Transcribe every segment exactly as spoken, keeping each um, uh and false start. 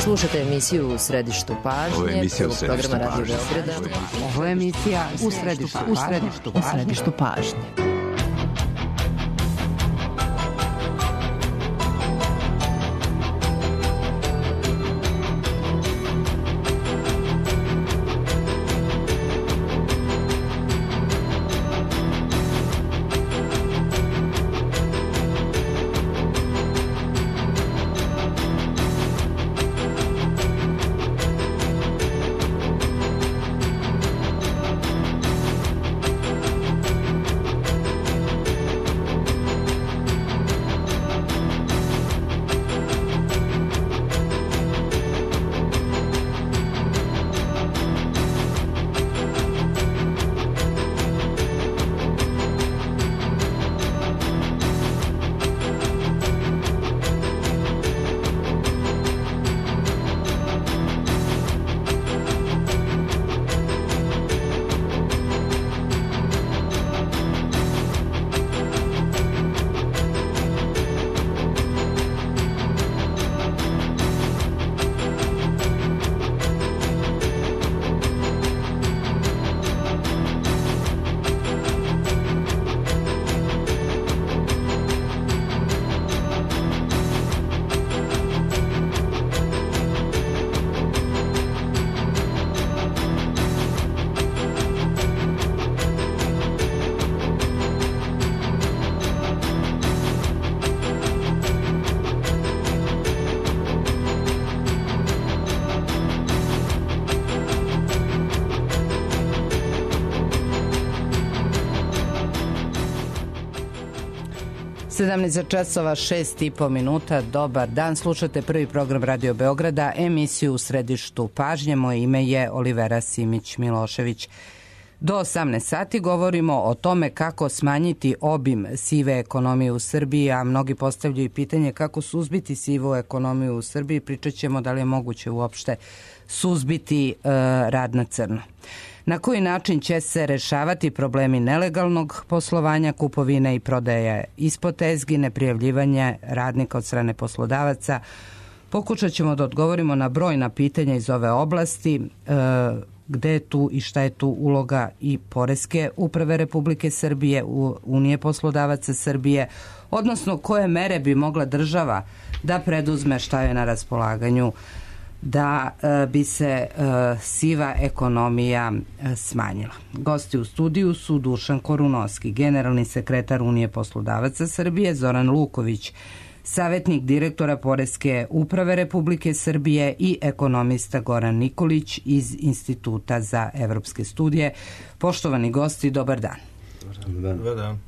Slušajte emisiju U središtu pažnje. Ovo je emisija U središtu pažnje. Ovo je emisija U središtu pažnje. U središtu pažnje. U središtu pažnje. sedamnaest časova šest i po minuta. Dobar dan, slušate prvi program Radio Beograda, emisiju U središtu pažnje. Moje ime je Olivera Simić-Milošević. Do osamnaest sati govorimo o tome kako smanjiti obim sive ekonomije u Srbiji, a mnogi postavljaju pitanje kako suzbiti sivu ekonomiju u Srbiji. Pričat ćemo da li je moguće uopšte suzbiti e, rad na crno. Na koji način će se rešavati problemi nelegalnog poslovanja, kupovine i prodaje ispod tezgi, neprijavljivanje radnika od strane poslodavaca. Pokušat ćemo da odgovorimo na brojna pitanja iz ove oblasti, e, gde je tu i šta je tu uloga i Poreske uprave Republike Srbije, u Unije poslodavaca Srbije, odnosno koje mere bi mogla država da preduzme, šta je na raspolaganju, da e, bi se e, siva ekonomija e, smanjila. Gosti u studiju su Dušan Korunovski, generalni sekretar Unije poslodavaca Srbije, Zoran Luković, savjetnik direktora Poreske uprave Republike Srbije i ekonomista Goran Nikolić iz Instituta za evropske studije. Poštovani gosti, dobar dan. Dobar dan. Dobar dan.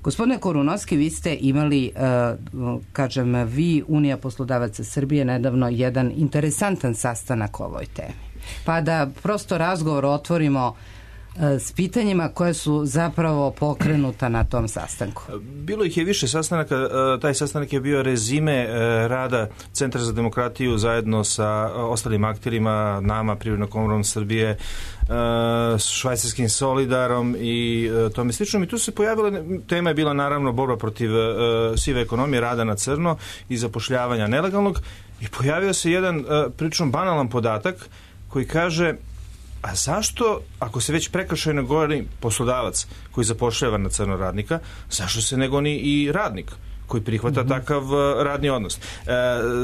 Gospodine Korunovski, vi ste imali, kažem, vi, Unija poslodavaca Srbije, nedavno jedan interesantan sastanak o ovoj temi. Pa da prosto razgovor otvorimo s pitanjima koje su zapravo pokrenuta na tom sastanku. Bilo ih je više sastanaka. Taj sastanak je bio rezime rada Centra za demokratiju zajedno sa ostalim akterima, nama, Privrednom komorom Srbije, švajcarskim Solidarom i tome slično. I tu se pojavila, tema je bila naravno borba protiv sive ekonomije, rada na crno i zapošljavanja nelegalnog. I pojavio se jedan prilično banalan podatak koji kaže: a zašto, ako se već prekršajno goni poslodavac koji zapošljava na crno radnika, zašto se ne goni i radnik koji prihvata mm-hmm. takav radni odnos? E,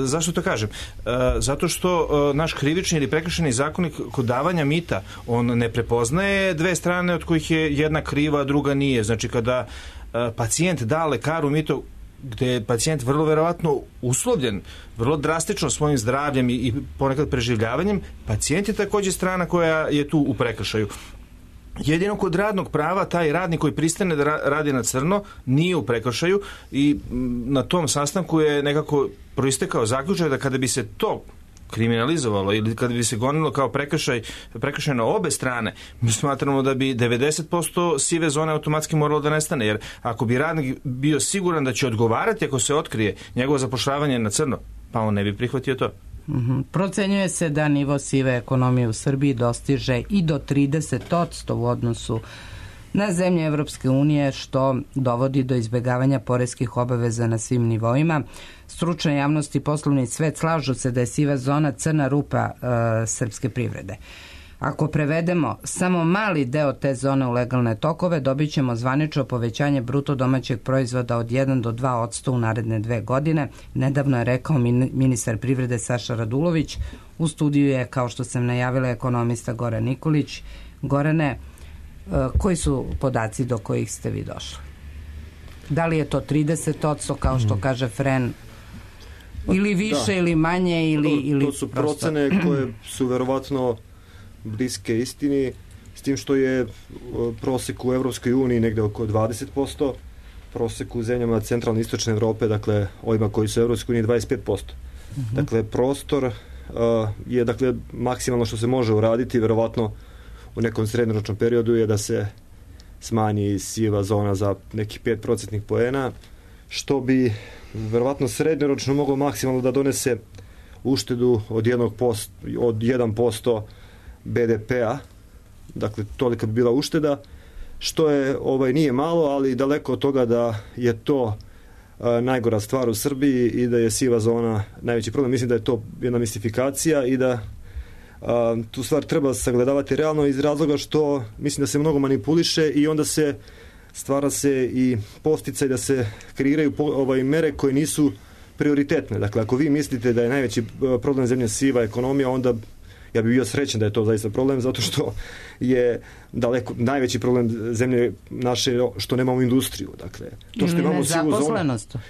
zašto to kažem? E, zato što e, naš krivični ili prekršajni zakonik kod davanja mita, on ne prepoznaje dve strane od kojih je jedna kriva, a druga nije. Znači, kada e, pacijent da lekaru mito, gde je pacijent vrlo verovatno uslovljen vrlo drastično svojim zdravljem i, i ponekad preživljavanjem, pacijent je takođe strana koja je tu u prekršaju. Jedino kod radnog prava taj radnik koji pristane da radi na crno nije u prekršaju i na tom sastanku je nekako proistekao zaključak da kada bi se to kriminalizovalo ili kada bi se gonilo kao prekršaj, prekršaj na obe strane, mi smatramo da bi devedeset posto sive zone automatski moralo da nestane, jer ako bi radnik bio siguran da će odgovarati ako se otkrije njegovo zapošljavanje na crno, pa on ne bi prihvatio to. Mm-hmm. Procenjuje se da nivo sive ekonomije u Srbiji dostiže i do trideset posto u odnosu na zemlje Evropske unije, što dovodi do izbjegavanja poreskih obaveza na svim nivoima. Stručna javnost i poslovni svet slažu se da je siva zona crna rupa e, srpske privrede. Ako prevedemo samo mali deo te zone u legalne tokove, dobit ćemo zvanično povećanje bruto domaćeg proizvoda od jedan do dva posto u naredne dve godine. Nedavno je rekao ministar privrede Saša Radulović. U studiju je, kao što sam najavila, ekonomista Goran Nikolić. Gorane, koji su podaci do kojih ste vi došli? Da li je to trideset posto kao što kaže Fren, ili više, da, ili manje, ili... To, ili to su procene koje su verovatno bliske istini, s tim što je prosek u Evropskoj uniji negde oko dvadeset posto, prosek u zemljama centralne i istočne Evrope, dakle ovima koji su u Evropskoj uniji, dvadeset pet posto. Uh-huh. Dakle, prostor uh, je dakle maksimalno što se može uraditi, verovatno u nekom srednjoročnom periodu je da se smanji siva zona za nekih pet procentnih poena, što bi verovatno srednjoročno moglo maksimalno da donese uštedu od jednog posto, od jedan posto be de pea, dakle tolika bi bila ušteda, što je ovaj nije malo, ali daleko od toga da je to a, najgora stvar u Srbiji i da je siva zona najveći problem. Mislim da je to jedna mistifikacija i da a, tu stvar treba sagledavati realno iz razloga što mislim da se mnogo manipuliše i onda se stvara se i posticaj da se kreiraju po, ovaj, mere koje nisu prioritetne. Dakle, ako vi mislite da je najveći problem zemlje siva ekonomija, onda ja bih bio srećan da je to zaista problem, zato što je daleko najveći problem zemlje naše što nemamo industriju. Dakle, to što imamo sivu zonu.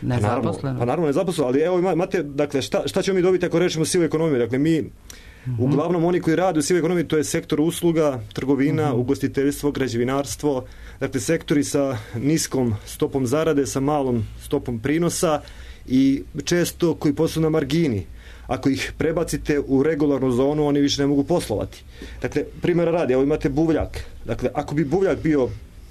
Nezaposlenost. Pa naravno nezaposlenost, ali evo imate, dakle, šta, šta ćemo mi dobiti ako rečemo sivu ekonomiju? Dakle, mi, mm-hmm. uglavnom oni koji rade u sivoj ekonomiji, to je sektor usluga, trgovina, mm-hmm. ugostiteljstvo, građevinarstvo, dakle, sektori sa niskom stopom zarade, sa malom stopom prinosa i često koji posluju na margini. Ako ih prebacite u regularnu zonu, oni više ne mogu poslovati. Dakle, primjera radi, evo imate buvljak. Dakle, ako bi buvljak bio,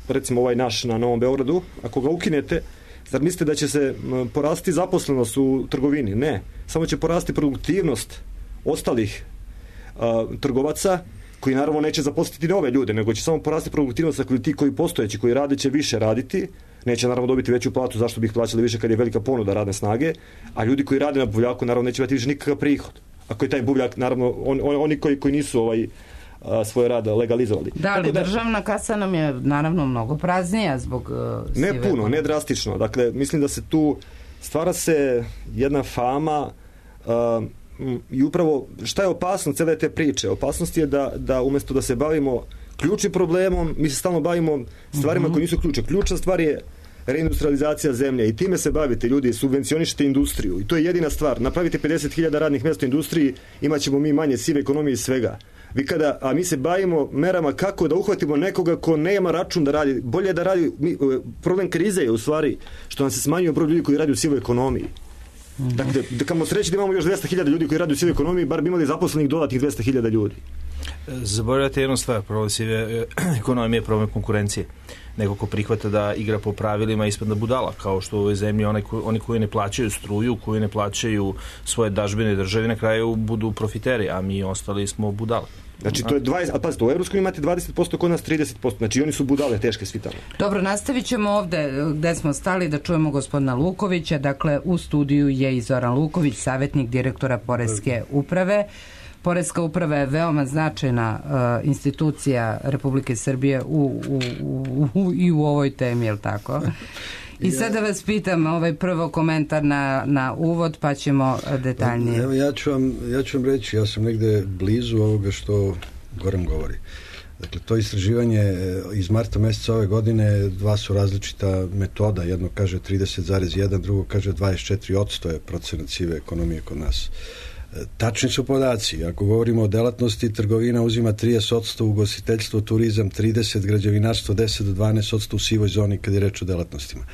recimo ovaj naš na Novom Beogradu, ako ga ukinete, zar mislite da će se porasti zaposlenost u trgovini? Ne. Samo će porasti produktivnost ostalih a, trgovaca, koji naravno neće zaposliti nove ljude, nego će samo porasti produktivnost, dakle ti koji postojeći, koji rade, će više raditi, neće naravno dobiti veću platu, zašto bi ih plaćali više kad je velika ponuda radne snage, a ljudi koji rade na buvljaku naravno neće imati više nikakav prihod. Ako je taj buvljak, naravno, on, on, oni koji, koji nisu ovaj, a, svoj rad legalizovali. Da, ali da, državna kasa nam je naravno mnogo praznija zbog uh, ne puno, ekonomije. Ne drastično. Dakle, mislim da se tu stvara se jedna fama uh, i upravo šta je opasno cele te priče? Opasnost je da, da umjesto da se bavimo ključnim problemom, mi se stalno bavimo stvarima mm-hmm. koje nisu ključe. Ključna stvar je reindustrializacija zemlje i time se bavite, ljudi, subvencionišite industriju i to je jedina stvar. Napravite pedeset hiljada radnih mjesta u industriji, imat ćemo mi manje sive ekonomije i svega. Vi kada, a mi se bavimo merama kako da uhvatimo nekoga ko nema račun da radi, bolje da radi, mi, problem krize je u stvari što nam se smanjuje broj ljudi koji radi u sivoj ekonomiji. Mm-hmm. Dakle, da kamo sreći da imamo još dvesta hiljada ljudi koji radi u sivoj ekonomiji, bar bi imali zaposlenih dodatnih dvesta hiljada ljudi. Zaboravljate jednu stvar, problem sive ekonomije je problem konkurencije. Neko ko prihvata da igra po pravilima ispadne budala, kao što u ovoj zemlji oni, ko, oni koji ne plaćaju struju, koji ne plaćaju svoje dažbine državi, na kraju budu profiteri, a mi ostali smo budale. Znači to je dvadeset, a pazite, u Evropskoj imate dvadeset posto, kod nas trideset posto, znači oni su budale teške svi tamo. Dobro, nastavit ćemo ovde gde smo stali da čujemo gospodina Lukovića, dakle u studiju je i Zoran Luković, savjetnik direktora Poreske uprave. Poreska uprava je veoma značajna uh, institucija Republike Srbije u, u, u, u, i u ovoj temi, je li tako? I sad da vas pitam ovaj prvo komentar na, na uvod, pa ćemo detaljnije. Evo, ja ću vam, ja ću vam reći, ja sam negde blizu ovoga što Goran govori. Dakle, to istraživanje iz marta mjeseca ove godine, dva su različita metoda. Jedno kaže trideset zarez jedan, drugo kaže dvadeset četiri posto je procenat sive ekonomije kod nas. Tačni su podaci. Ako govorimo o delatnosti, trgovina uzima trideset posto, ugostiteljstvo, turizam trideset, građevinarstvo deset do dvanaest posto u sivoj zoni kad je reč o delatnostima.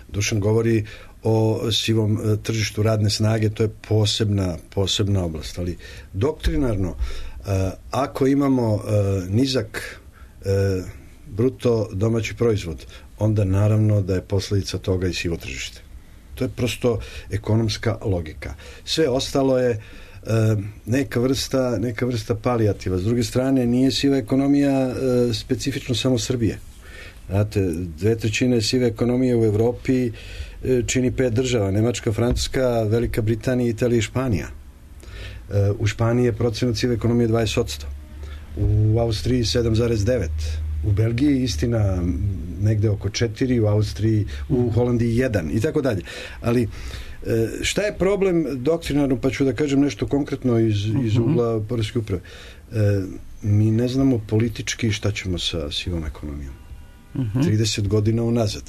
Dušan govori o sivom e, tržištu radne snage, to je posebna, posebna oblast. Ali doktrinarno, e, ako imamo e, nizak e, bruto domaći proizvod, onda naravno da je posljedica toga i sivo tržište. To je prosto ekonomska logika. Sve ostalo je e, neka vrsta, neka vrsta palijativa. S druge strane, nije siva ekonomija e, specifično samo Srbije. Znate, dve trećine sive ekonomije u Evropi čini pet država, Nemačka, Francuska, Velika Britanija, Italija i Španija. U Španiji je procenat sive ekonomije dvadeset posto, u Austriji sedam zarez devet, u Belgiji istina negde oko četiri, u Austriji, u Holandiji jedan i tako dalje. Ali šta je problem doktrinarno, pa ću da kažem nešto konkretno iz, iz ugla poreske uprave. Mi ne znamo politički šta ćemo sa sivom ekonomijom. trideset godina unazad.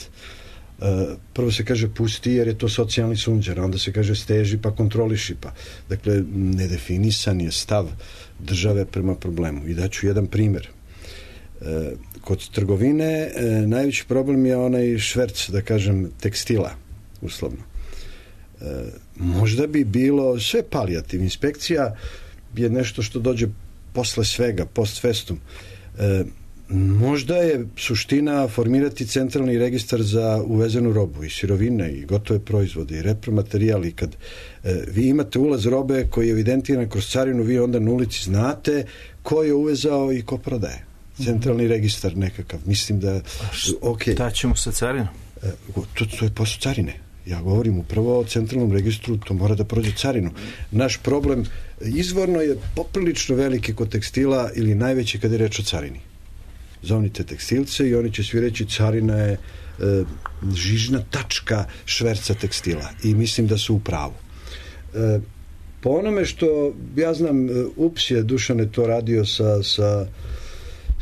Prvo se kaže pusti jer je to socijalni sunđer, onda se kaže steži pa kontroliši pa. Dakle, nedefinisan je stav države prema problemu. I daću jedan primjer. Kod trgovine najveći problem je onaj šverc, da kažem, tekstila, uslovno. Možda bi bilo sve palijativ. Inspekcija je nešto što dođe posle svega, post festum. Možda je suština formirati centralni registar za uvezenu robu i sirovine i gotove proizvode i repromaterijal i kad e, vi imate ulaz robe koji je evidentiran kroz carinu, vi onda na ulici znate ko je uvezao i ko prodaje. Centralni registar nekakav. Mislim da... Okay. Šta ćemo sa carinom? E, to, to je posao carine. Ja govorim upravo o centralnom registru, to mora da prođe carinu. Naš problem izvorno je poprilično veliki kod tekstila ili najveći kad je reč o carini. Zovnite tekstilce i oni će svi reći carina je e, žižna tačka šverca tekstila i mislim da su u pravu. E, po onome što ja znam, U P S je Dušan je to radio sa, sa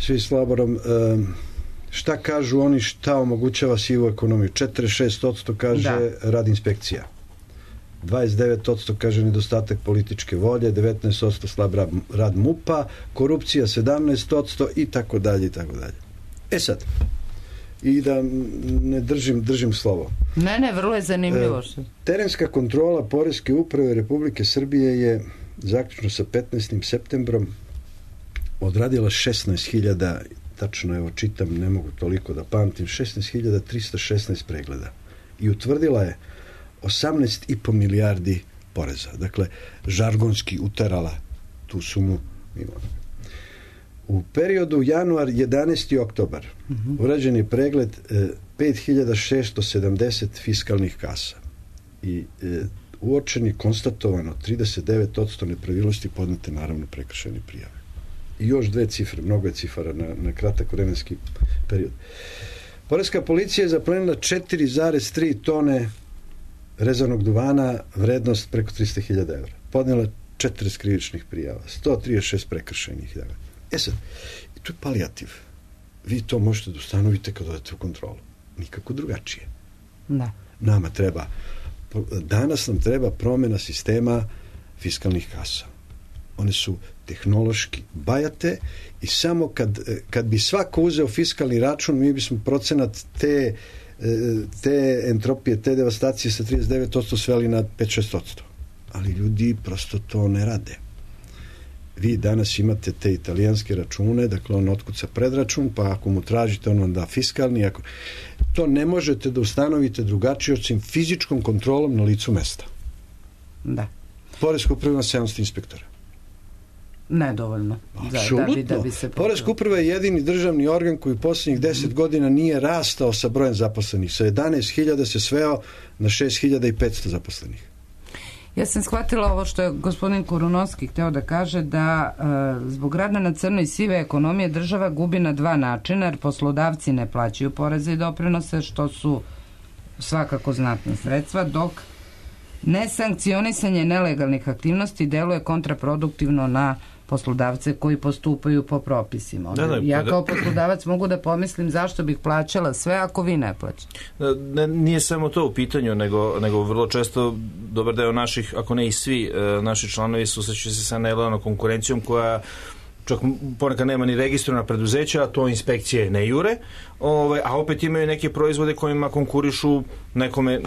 svi Slaborom, e, šta kažu oni, šta omogućava sivu ekonomiju? četrdeset šest posto kaže da. Rad inspekcija, dvadeset devet posto kaže nedostatak političke volje, devetnaest posto slab rad M U P-a, korupcija sedamnaest posto i tako dalje i tako dalje. E sad, i da ne držim, držim slovo. Ne, ne, vrlo je zanimljivo. E, terenska kontrola Poreske uprave Republike Srbije je zaključno sa petnaestim septembrom odradila šesnaest hiljada, tačno evo čitam, ne mogu toliko da pamtim, šesnaest hiljada trista šesnaest pregleda i utvrdila je osamnaest i po milijardi poreza. Dakle, žargonski uterala tu sumu. U periodu januar jedanaesti oktobar uh-huh. urađen je pregled e, pet hiljada šesto sedamdeset fiskalnih kasa i e, uočen je konstatovano trideset devet posto nepravilnosti, podnete naravno prekršajne prijave. I još dve cifre, mnogo je cifara na, na kratak vremenski period. Poreska policija je zaplenila četiri zarez tri tone rezanog duvana, vrednost preko tristo hiljada evra. Podnijela četrdeset krivičnih prijava, sto trideset šest prekršajnih. E sad, to je palijativ. Vi to možete da ustanovite kad odete u kontrolu. Nikako drugačije. Da. Nama treba, danas nam treba promjena sistema fiskalnih kasa. One su tehnološki bajate i samo kad, kad bi svako uzeo fiskalni račun, mi bismo procenat te te entropije, te devastacije sa trideset devet posto sveli na pet do šest posto. Ali ljudi prosto to ne rade. Vi danas imate te italijanske račune, dakle on otkuca predračun, pa ako mu tražite on vam da fiskalni, ako... to ne možete da ustanovite drugačije osim fizičkom kontrolom na licu mesta. Da. Poreska uprava ima sedamsto inspektora. Nedovoljno. Apsolutno. Da, da bi, da bi se Poreska uprava je jedini državni organ koji u posljednjih deset godina nije rastao sa brojem zaposlenih. Sa jedanaest hiljada se sveo na šest hiljada petsto zaposlenih. Ja sam shvatila ovo što je gospodin Kurunovski hteo da kaže, da e, zbog rada na crno i sive ekonomije država gubi na dva načina, jer poslodavci ne plaćaju poreze i doprinose, što su svakako znatna sredstva, dok nesankcionisanje nelegalnih aktivnosti deluje kontraproduktivno na poslodavce koji postupaju po propisima. Da, da, ja kao poslodavac mogu da pomislim zašto bih plaćala sve ako vi ne plaćate. Ne, nije samo to u pitanju, nego, nego vrlo često dobar deo naših, ako ne i svi, naši članovi susreću se sa nelojalnom konkurencijom koja čak ponekad nema ni registrovana preduzeća, a to inspekcije ne jure, ovaj, a opet imaju neke proizvode kojima konkurišu nekome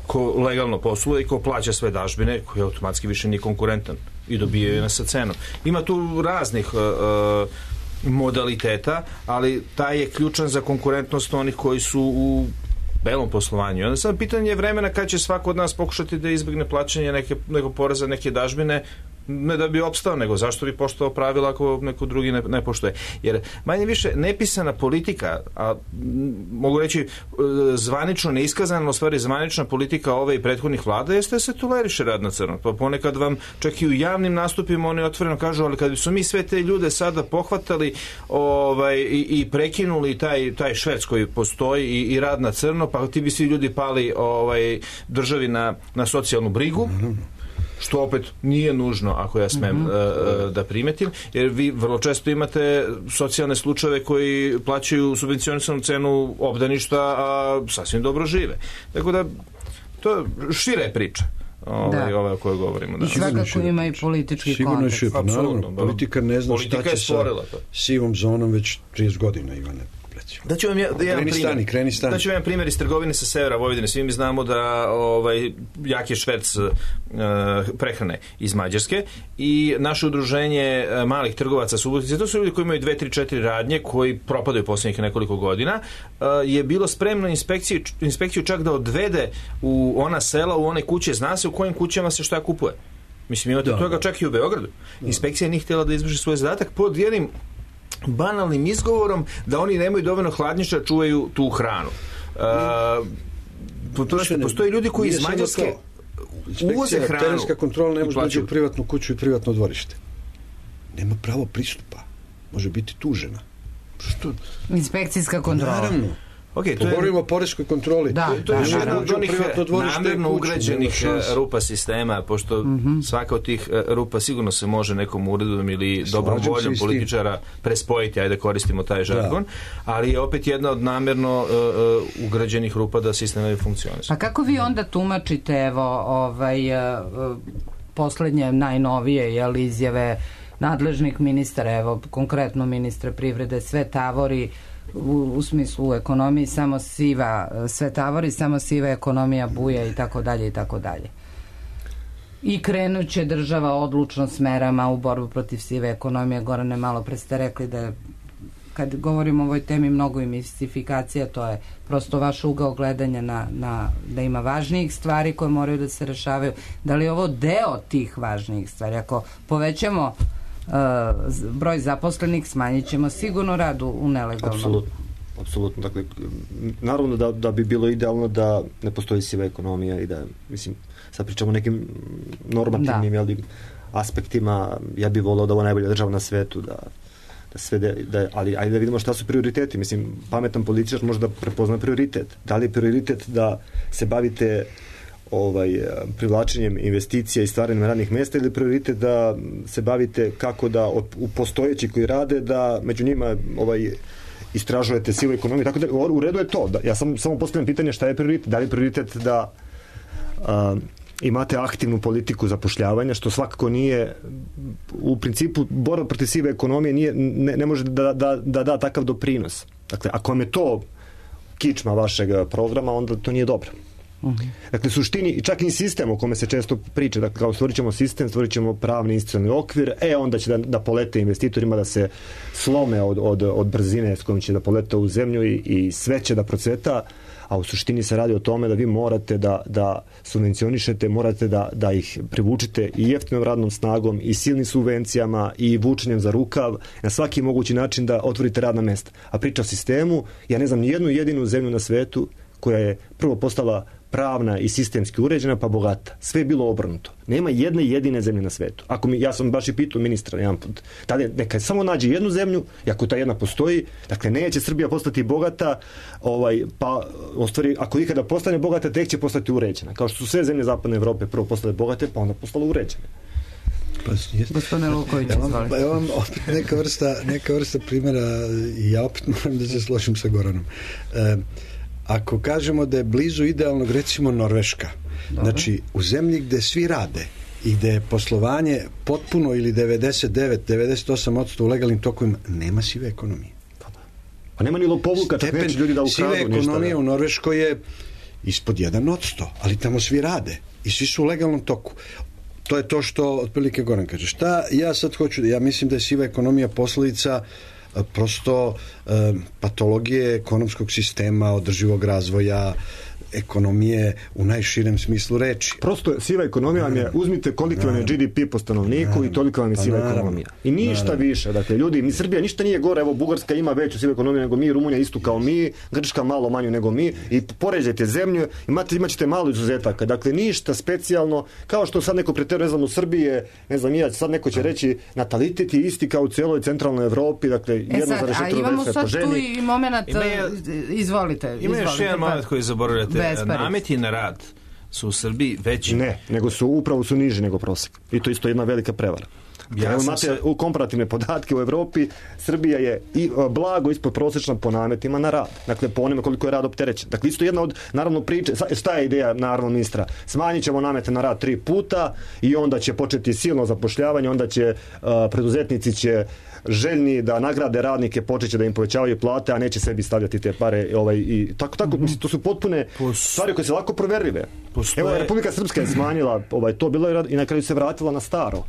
ko legalno posluje i ko plaća sve dažbine, koji automatski više nije konkurentan i dobijaju nas sa cenom. Ima tu raznih uh, modaliteta, ali taj je ključan za konkurentnost onih koji su u belom poslovanju. Onda sad pitanje je vremena kad će svako od nas pokušati da izbjegne plaćanje neke, nekog poreza, neke dažbine, Ne da bi opstao, nego zašto bi poštovao pravila ako neko drugi ne, ne poštuje. Jer manje više nepisana politika, a mogu reći zvanično neiskazana, u stvari zvanična politika ove i prethodnih vlada jeste da se toleriše rad na crno. Pa ponekad vam čak i u javnim nastupima oni otvoreno kažu, ali kad su mi sve te ljude sada pohvatali ovaj, i, i prekinuli taj, taj šverc koji postoji i, i rad na crno, pa ti bi svi ljudi pali ovaj, državi na, na socijalnu brigu, što opet nije nužno, ako ja smem mm-hmm. uh, da primetim, jer vi vrlo često imate socijalne slučajeve koji plaćaju subvencionisanu cenu obdaništa, a sasvim dobro žive. Tako da, to je šira je priča. Ovaj, ova o kojoj govorimo. Da. I svakako ima i politički sigurno kontekst. Sigurno je šira, naravno. Politika ne zna politika šta će sa sivom zonom već trideset godina, Ivane. Da ću vam ja, da jedan primjer. Da ću vam jedan primjer iz trgovine sa severa Vojvodine. Svi mi znamo da ovaj jak je šverc uh, prehrane iz Mađarske i naše udruženje uh, malih trgovaca Subotice, to su ljudi koji imaju dve, tri, četiri radnje, koji propadaju posljednjih nekoliko godina, uh, je bilo spremno inspekciju, inspekciju čak da odvede u ona sela, u one kuće, zna se u kojim kućama se šta kupuje. Mislim, imate da, toga da. Čak i u Beogradu. Da. Inspekcija nije htjela da izvrši svoj zadatak pod jednim banalnim izgovorom da oni nemaju dovoljno hladnjišta da čuvaju tu hranu. Uh, postoje, postoje ljudi koji iz Mađarske uvoze hranu. Terenska kontrola ne može doći u privatnu kuću i privatno dvorište. Nema pravo pristupa. Može biti tužena. Što? Inspekcijska kontrola. Naravno. Okay, to govorimo o poreskoj kontroli. Da, to, to je jedna od onih namjerno ugrađenih rupa sistema, pošto mm-hmm. svaka od tih rupa sigurno se može nekom uredom ili dobrom voljom političara prespojiti, ajde koristimo taj žargon, da. Ali je opet jedna od namjerno uh, ugrađenih rupa da sistem ne funkcioniše. Pa kako vi onda tumačite, evo, ovaj, uh, poslednje, najnovije, jel, izjave nadležnih ministara, evo, konkretno ministra privrede, sve tavori U, u smislu u ekonomiji samo siva, sve tavori, samo siva ekonomija buja i tako dalje i tako dalje. I krenuće država odlučno s merama u borbu protiv sive ekonomije. Gorane, malo pre ste rekli da kad govorimo o ovoj temi mnogo i mistifikacija, to je prosto vaš ugao gledanja na, na, da ima važnijih stvari koje moraju da se rešavaju. Da li je ovo deo tih važnijih stvari? Ako povećamo Uh, broj zaposlenih, smanjit ćemo sigurno rad u nelegalnom. Apsolutno. Apsolutno. Dakle, naravno da, da bi bilo idealno da ne postoji siva ekonomija i da, mislim, sad pričamo o nekim normativnim jel, aspektima. Ja bih volao da ovo najbolja država na svetu, da, da sve de, da, ali ajde da vidimo šta su prioriteti. Mislim, pametan političar može da prepozna prioritet. Da li je prioritet da se bavite ovaj, privlačenjem investicija i stvaranjem radnih mjesta ili prioritet da se bavite kako da u postojeći koji rade da među njima ovaj, istražujete sivu ekonomiju. Tako da u redu je to. Da, ja sam samo postavljam pitanje šta je prioritet. Da li je prioritet da a, imate aktivnu politiku zapošljavanja, što svakako nije u principu borba protiv sive ekonomije nije, ne, ne može da da, da da takav doprinos. Dakle, ako vam je to kičma vašeg programa, onda to nije dobro. Uh-huh. Dakle, suštini, čak i sistem o kome se često priča, dakle, kao stvorit ćemo sistem, stvorit ćemo pravni institucionalni okvir, e, onda će da, da polete investitorima da se slome od, od, od brzine s kojom će da polete u zemlju i, i sve će da procveta, a u suštini se radi o tome da vi morate da, da subvencionišete, morate da, da ih privučite i jeftinom radnom snagom i silnim subvencijama i vučenjem za rukav, na svaki mogući način da otvorite radna mesta. A priča o sistemu, ja ne znam ni jednu jedinu zemlju na svetu koja je prvo postala pravna i sistemski uređena pa bogata. Sve je bilo obrnuto. Nema jedne jedine zemlje na svetu. Ako mi, ja sam baš i pitao ministra jedan put, tada neka samo nađe jednu zemlju i ako ta jedna postoji, dakle neće Srbija postati bogata, ovaj, pa ostvari, ako ikada postane bogata, tek će postati uređena. Kao što su sve zemlje zapadne Evrope prvo postale bogate, pa onda postale uređene. Pa, gospodine Luković, ja vam, pa ja vam opet neka vrsta, neka vrsta primjera i ja opet moram da se složim sa Goranom. E, Ako kažemo da je blizu idealnog, recimo Norveška, Dobre. Znači u zemlji gde svi rade i gde je poslovanje potpuno ili devedeset devet do devedeset osam posto u legalnim tokovima, nema sive ekonomije. Pa nema ni lopovluka, čak neće ljudi da ukradu ništa. Sive ekonomije u Norveškoj je ispod jedan posto, ali tamo svi rade i svi su u legalnom toku. To je to što otprilike Goran kaže. Šta ja sad hoću, ja mislim da je siva ekonomija posledica prosto e, patologije ekonomskog sistema, održivog razvoja, ekonomije u najširem smislu reči. Prosto siva ekonomija vam je, uzmite koliko vam je G D P po stanovniku naravno. I toliko vam je siva pa, ekonomija. I ništa naravno. Više. Dakle, ljudi, ni Srbija ništa nije gore, evo Bugarska ima veću sivu ekonomiju nego mi, Rumunija istu kao mi, Grčka malo manju nego mi i poređajte zemlju, imate, imat ćete malo izuzetaka. Dakle, ništa specijalno, kao što sad neko preteruje, ne znam, u Srbije, ne znam, ja, sad neko će reći natalitet je isti kao u cijeloj centralnoj Evropi, dakle, jedno zarez četiri po ženi. Tu i moment, ima je, izvolite. Ima još jedan moment koji zaboravljate. Nameti na rad su u Srbiji veći. Ne, nego su upravo su niži nego prosjek. I to isto jedna velika prevara. Ja Evo imate se... u komparativne podatke u Evropi, Srbija je i blago ispod prosječna po nametima na rad. Dakle, po onome koliko je rad opterećen. Dakle, isto jedna od, naravno, priče, šta je ideja, naravno, ministra? Smanjit ćemo namete na rad tri puta i onda će početi silno zapošljavanje, onda će uh, preduzetnici će željni da nagrade radnike, počeće da im povećavaju plate, a neće sebi stavljati te pare. Ovaj, i tako, tako, mm-hmm. mislim, to su potpune Pos... stvari koje se lako proverljive. Postoje... Evo, Republika Srpska je smanjila, ovaj, to bilo i na kraju se vratila na staro.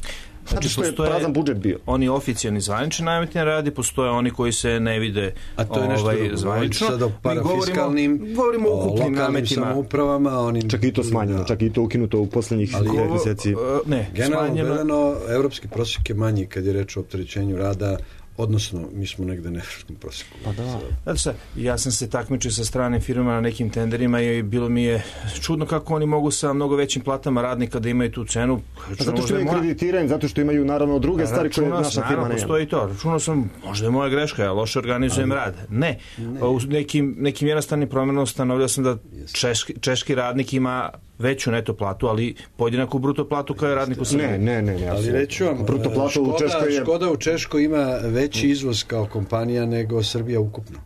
Znači, što je prazan budžet bio. Oni oficijalni zvanični nameti na radi, postoje oni koji se ne vide. A to je nešto ovaj, drugo. Zvanično. Sad o parafiskalnim, govorimo, govorimo o ukupnim nametima. Samoupravama, onim... Čak i to smanjeno, čak i to ukinuto u posljednjih mjeseci. Ne, generalno gledano, evropski prosjek je manji kad je reč o opterećenju rada, odnosno mi smo negde na evropskom prosjeku. Pa da. Znači sad, ja sam se takmičio sa stranim firmama na nekim tenderima i bilo mi je čudno kako oni mogu sa mnogo većim platama radnika da imaju tu cenu. Pa zato što imaju kreditiranje, zato što imaju naravno druge stvari koje naša firma nema. Postoji to. Računao sam, možda je moja greška, ja loše organizujem rad. Ne. ne. U nekim, nekim jednostavnim promjenom stanovljao sam da češki, češki radnik ima veću neto platu, ali podjednaku bruto platu kao je radnik u Srbiji. Ne, ne, ne, ne. Ali reću vam, bruto platu u Češkoj je... Škoda u Češkoj ima veći izvoz kao kompanija nego Srbija ukupno.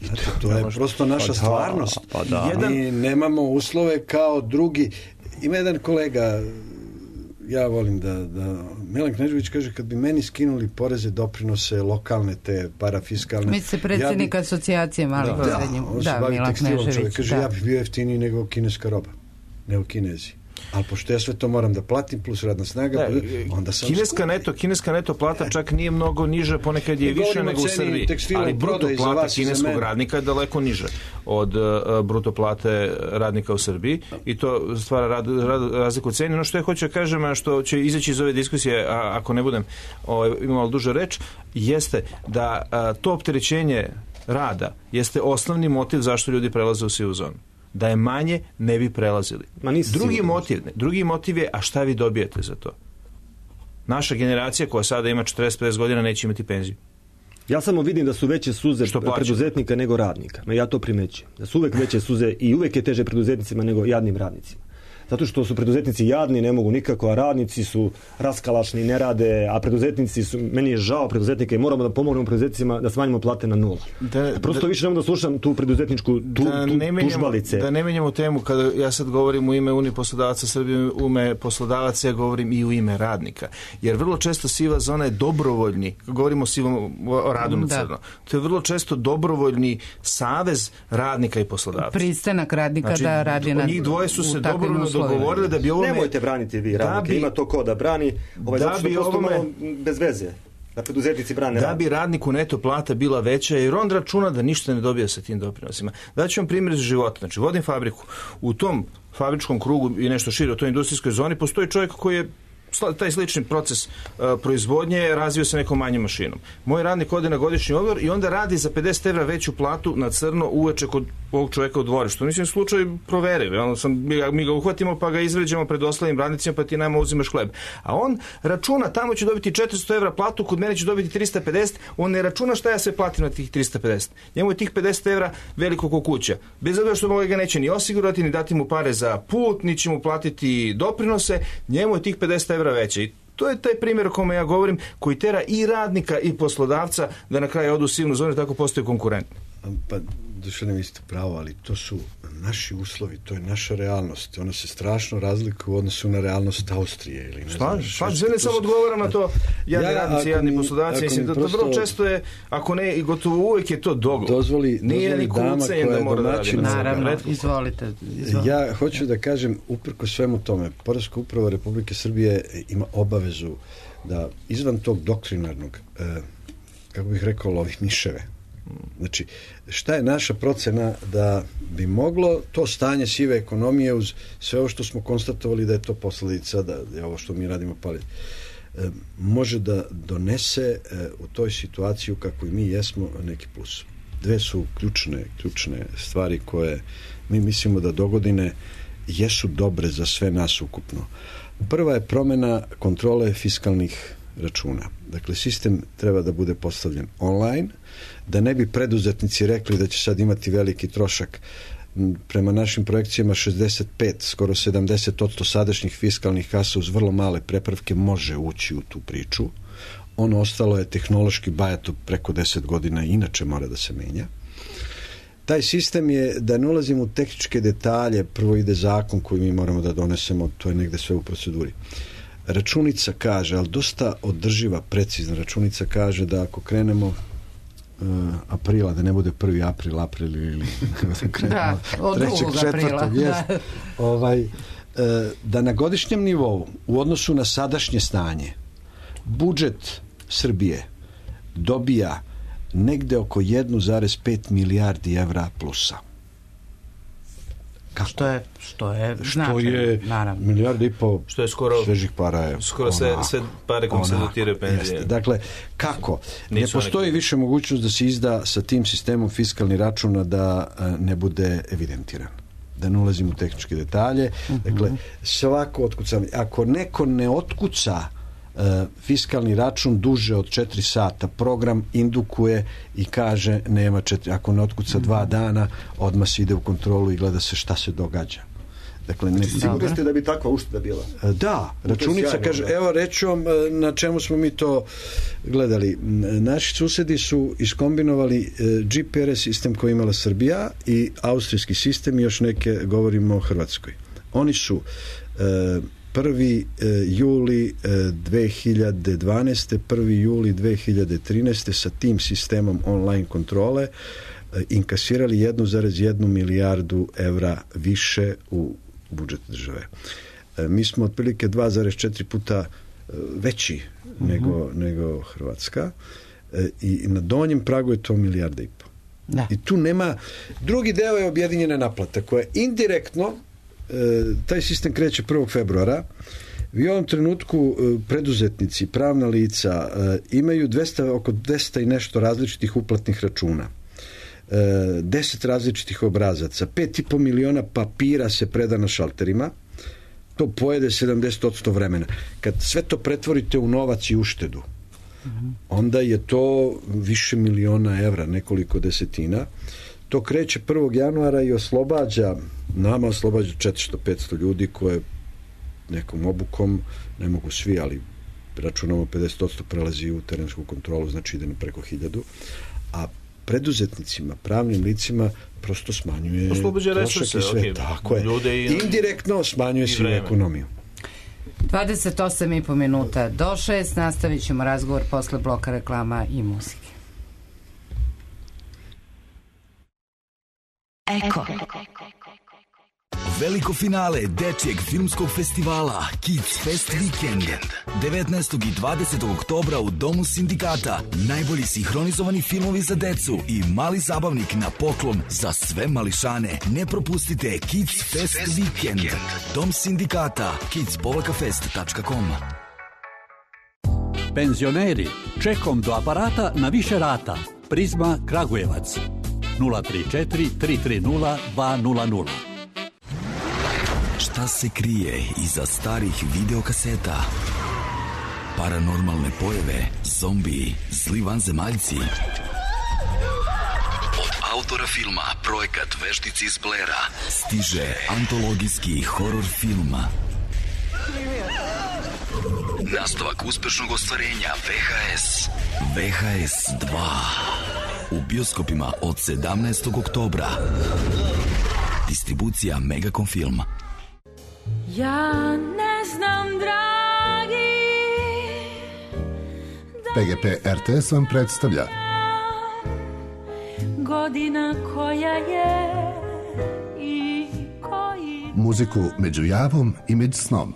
Znate, to je prosto naša pa stvarnost. Pa da. Jedan... Mi nemamo uslove kao drugi. Ima jedan kolega, ja volim da, da Milan Knežević kaže, kad bi meni skinuli poreze, doprinose, lokalne, te parafiskalne... Mi se predsjednik ja bi... asocijacije malih da, srednjim. Da, da, Milan Knežević. Kaže, da. Ja bih bio jeftiniji nego kineska roba, nego Kinezi. Ali pošto ja sve to moram da platim, plus radna snaga, da, onda sam... Kineska neto, kineska neto plata čak nije mnogo niže, ponekad je više nego u Srbiji. Ali bruto plata kineskog radnika je daleko niže od uh, bruto plate radnika u Srbiji i to stvara rad, rad, razliku u ceni. Ono što ja hoću da kažem, a što će izaći iz ove diskusije, a, ako ne budem ovaj, imao duže reč, jeste da a, to opterećenje rada jeste osnovni motiv zašto ljudi prelaze u sivu zonu. Da je manje, ne bi prelazili. Drugi motiv, ne, drugi motiv je, a šta vi dobijete za to? Naša generacija koja sada ima četrdeset do pedeset godina neće imati penziju. Ja samo vidim da su veće suze preduzetnika nego radnika. Ja to primećujem. Da su uvek veće suze i uvek je teže preduzetnicima nego jadnim radnicima. Zato što su preduzetnici jadni, ne mogu nikako, a radnici su raskalašni, ne rade, a preduzetnici su, meni je žao preduzetnika i moramo da pomognemo preduzetnicima da smanjimo plate na nula. Da, Prosto da, više ne mogu da slušam tu preduzetničku tu, da tu, ne menjamo, tužbalice. Da ne menjamo temu, kada ja sad govorim u ime Unije poslodavaca Srbije, u ime poslodavaca, ja govorim i u ime radnika. Jer vrlo često siva zona je dobrovoljni, govorimo o sivom o radu na crno, to je vrlo često dobrovoljni savez radnika i poslodavaca. Pristanak radnika znači, da radi na... Njih dvoje su se dobrovoljno dogovorili da bi ovome... Nemojte braniti vi radnike, bi, ima to ko da brani, ovaj, da zato što bi prosto ovome, malo bez veze, da preduzetnici brane da rad. Bi radniku neto plata bila veća, jer on računa da ništa ne dobija sa tim doprinosima. Daću vam primjer iz života, znači vodim fabriku, u tom fabričkom krugu i nešto šire, u toj industrijskoj zoni, postoji čovjek koji je taj slični proces uh, proizvodnje razvio se nekom manjom mašinom. Moj radnik ode na godišnji odmor i onda radi za pedeset evra veću platu na crno uveče kod ovog čovjeka u dvorištu. Mislim, slučaj proverili. Ono sam, mi, ga, mi ga uhvatimo pa ga izvređamo pred ostalim radnicima pa ti nama uzimaš hleb. A on računa, tamo će dobiti četiristo evra platu, kod mene će dobiti trista pedeset, on ne računa šta ja sve platim na tih trista pedeset. Njemu je tih pedeset evra veliko ko kuća. Bez obzira što mu ga neće ni osigurati, ni dati mu pare za put, ni će mu platiti doprinose, njemu je tih pedeset evra veće. I to je taj primjer o kome ja govorim, koji tera i radnika i poslodavca da na kraju odu u sivnu zonu i tako postaju konkurentni. Pa, duše ne mislite pravo, ali to su naši uslovi, to je naša realnost. Ona se strašno razlikuje u odnosu na realnost Austrije. Ili ne znam, Slažem se, ne samo odgovaram na to jadni ja, radnici, jadni poslodavci. Mislim, da to vrlo često je, ako ne, i gotovo uvijek je to dogovor. Dozvoli, nije ni kucenjem da mora da radi. Naravno, izvolite, izvolite. Ja hoću da kažem, uprko svemu tome, Poreska uprava Republike Srbije ima obavezu da izvan tog doktrinarnog, eh, kako bih rekao, lovi miševe, Znači, šta je naša procena da bi moglo to stanje sive ekonomije uz sve ovo što smo konstatovali da je to posledica, da je ovo što mi radimo pali, e, može da donese e, u toj situaciji u kakvoj mi jesmo neki plus. Dve su ključne, ključne stvari koje mi mislimo da dogodine jesu dobre za sve nas ukupno. Prva je promjena kontrole fiskalnih računa. Dakle, sistem treba da bude postavljen online, da ne bi preduzetnici rekli da će sad imati veliki trošak. Prema našim projekcijama šezdeset pet, skoro sedamdeset posto sadašnjih fiskalnih kasa uz vrlo male prepravke može ući u tu priču. Ono ostalo je tehnološki bajat preko deset godina, inače mora da se menja. Taj sistem je, da ne ulazimo u tehničke detalje, prvo ide zakon koji mi moramo da donesemo, to je negde sve u proceduri. Računica kaže, ali dosta održiva, precizna računica kaže da ako krenemo uh, aprila, da ne bude prvi april, april ili da, od drugog aprila. Da. Ovaj, uh, da na godišnjem nivou u odnosu na sadašnje stanje budžet Srbije dobija negde oko jedan zarez pet milijardi evra plusa. Kako? Što je, što je, što značaj, je naravno. milijarda i pol što je skoro, svežih para je. Skoro sve, sve pare kom se dotiraju penzije. Jeste. Dakle, kako? Nisu ne postoji neki... više mogućnost da se izda sa tim sistemom fiskalni računa da ne bude evidentiran. Da ne ulazim u tehničke detalje. Uh-huh. Dakle, svako otkucanje. Ako neko ne otkuca Uh, fiskalni račun duže od četiri sata, program indukuje i kaže nema četiri, ako ne otkuca mm-hmm. dva dana, odmah se ide u kontrolu i gleda se šta se događa. Dakle, ne... Sigurni ste da bi takva ušteda bila? Uh, da, računica sjajno, kaže, da. Evo reću vam na čemu smo mi to gledali. Naši susedi su iskombinovali uh, G P R S sistem koji imala Srbija i austrijski sistem i još neke, govorimo o Hrvatskoj. Oni su uh, prvi juli dve hiljade dvanaeste. prvi juli dve hiljade trinaeste. sa tim sistemom online kontrole inkasirali jedan zarez jedan milijardu evra više u budžet države. Mi smo otprilike dva zarez četiri puta veći uh-huh. nego, nego Hrvatska i na donjem pragu je to milijarda i po. Da. I tu nema... Drugi deo je objedinjena naplata koja indirektno taj sistem kreće prvog februara. Vi u ovom trenutku preduzetnici, pravna lica imaju dvesta, oko dvesta i nešto različitih uplatnih računa. deset različitih obrazaca. pet i po miliona papira se preda na šalterima. To pojede sedamdeset posto vremena. Kad sve to pretvorite u novac i uštedu, onda je to više miliona evra, nekoliko desetina. To kreće prvog januara i oslobađa, nama oslobađa četiristo do petsto ljudi koje nekom obukom, ne mogu svi, ali računamo pedeset posto prelazi u terensku kontrolu, znači ide na preko hiljadu, a preduzetnicima, pravnim licima prosto smanjuje trošak i sve. Okay. Tako je. I... Indirektno smanjuje sivu ekonomiju. dvadeset osam i po minuta do šest, nastavit ćemo razgovor posle bloka reklama i muzike. Eko. Veliko finale dečijeg filmskog festivala Kids Fest Weekend devetnaestog i dvadesetog oktobra u Domu sindikata. Najbolji sinhronizovani filmovi za decu i mali zabavnik na poklon za sve mališane. Ne propustite Kids Fest Weekend. Dom sindikata kids fest tačka com. Penzioneri, čekom do aparata na više rata. Prizma Kragujevac nula tri četiri tri tri nula dva nula nula. Šta se krije iza starih videokaseta? Paranormalne pojave, zombiji, zli vanzemaljci. Od autora filma Projekat Veštici iz Blera stiže antologijski horor film. Nastavak uspešnog ostvarenja V H S. V H S dva. U bioskopima od sedamnaestog oktobra. Distribucija Megacom Film. Ja ne znam, dragi, P G P R T S vam predstavlja godina koja je i koji... muziku među javom i među snom.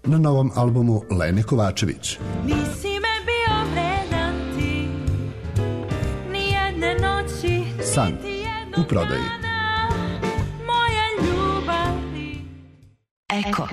na novom albumu Lene Kovačević. Nisi me bio vredan ti, nijedne noći, San u prodaji. moje ljubavi. Eko.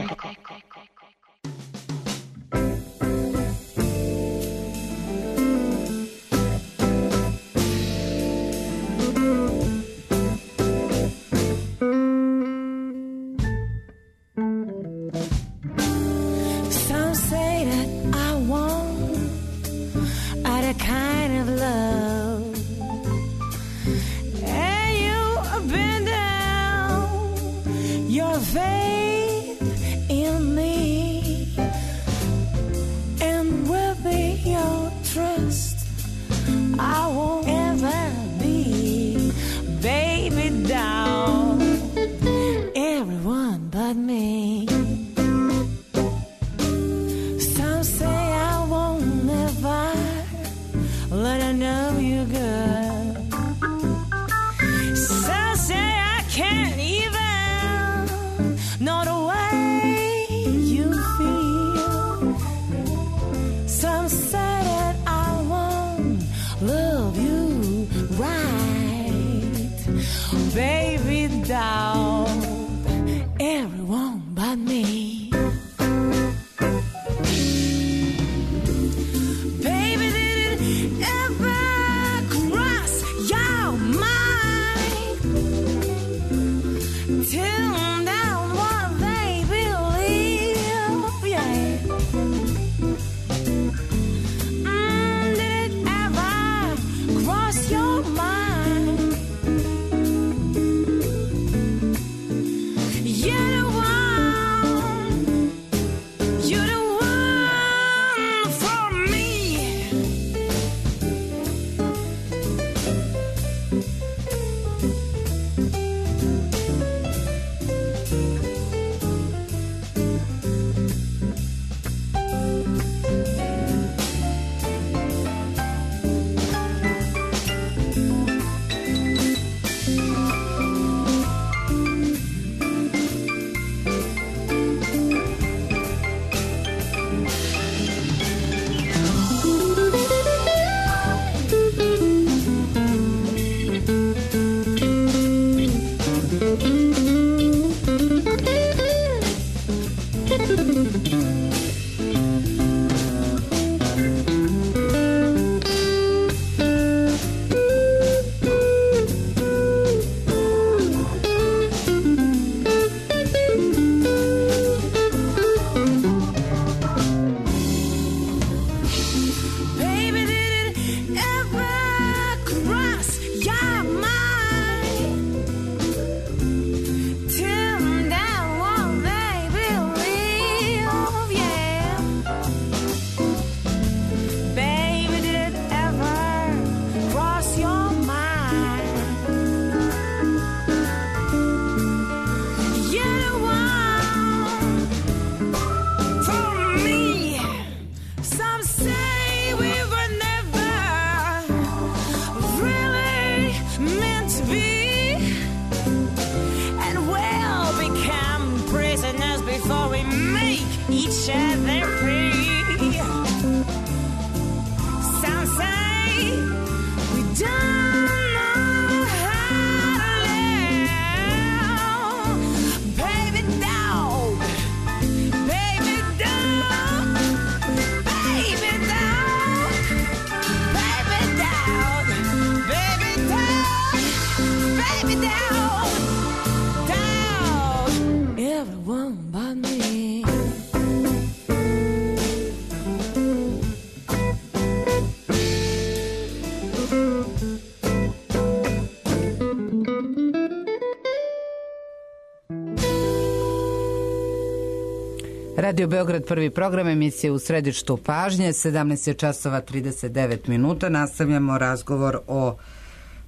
Radio Beograd, prvi program, emisije U središtu pažnje, sedamnaest časova trideset devet minuta. Nastavljamo razgovor o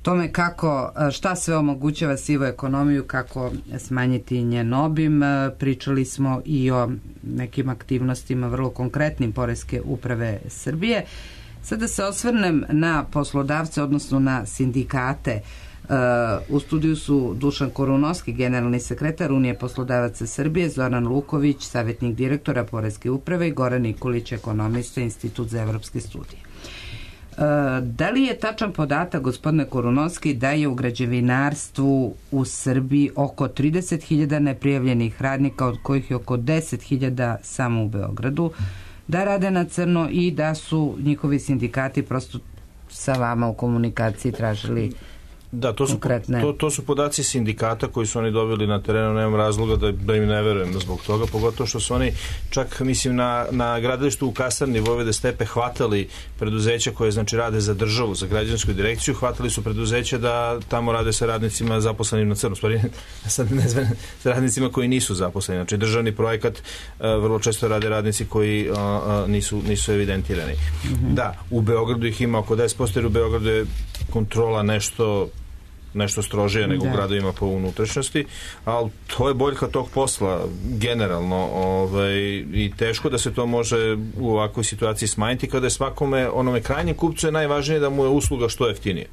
tome kako, šta sve omogućava sivu ekonomiju, kako smanjiti njen obim. Pričali smo i o nekim aktivnostima vrlo konkretnim Poreske uprave Srbije. Sada se osvrnem na poslodavce, odnosno na sindikate U studiju su Dušan Korunovski, generalni sekretar Unije poslodavaca Srbije, Zoran Luković, savjetnik direktora Poreske uprave i Goran Nikolić, ekonomista, Institut za evropske studije. Da li je tačan podatak, gospodine Korunovski, da je u građevinarstvu u Srbiji oko trideset hiljada neprijavljenih radnika, od kojih je oko deset hiljada samo u Beogradu, da rade na crno i da su njihovi sindikati prosto sa vama u komunikaciji tražili Da, to su, konkretne... to, to su podaci sindikata koji su oni dobili na terenu, nemam razloga da, da im ne verujem zbog toga, pogotovo što su oni čak, mislim, na, na gradilištu u Kasarni Vojvode Stepe hvatali preduzeća koje, znači, rade za državu, za građansku direkciju, hvatali su preduzeća da tamo rade sa radnicima zaposlenim na crno, stvari, sad ne znam, sa radnicima koji nisu zaposleni, znači državni projekat a, vrlo često rade radnici koji a, a, nisu, nisu evidentirani. Mm-hmm. Da, u Beogradu ih ima oko deset posto, jer u Beogradu je kontrola nešto nešto strožije nego da. U gradovima po unutrašnjosti, ali to je boljka tog posla generalno, ovaj, i teško da se to može u ovakvoj situaciji smanjiti kada je svakome, onome krajnjem kupcu je najvažnije da mu je usluga što jeftinije.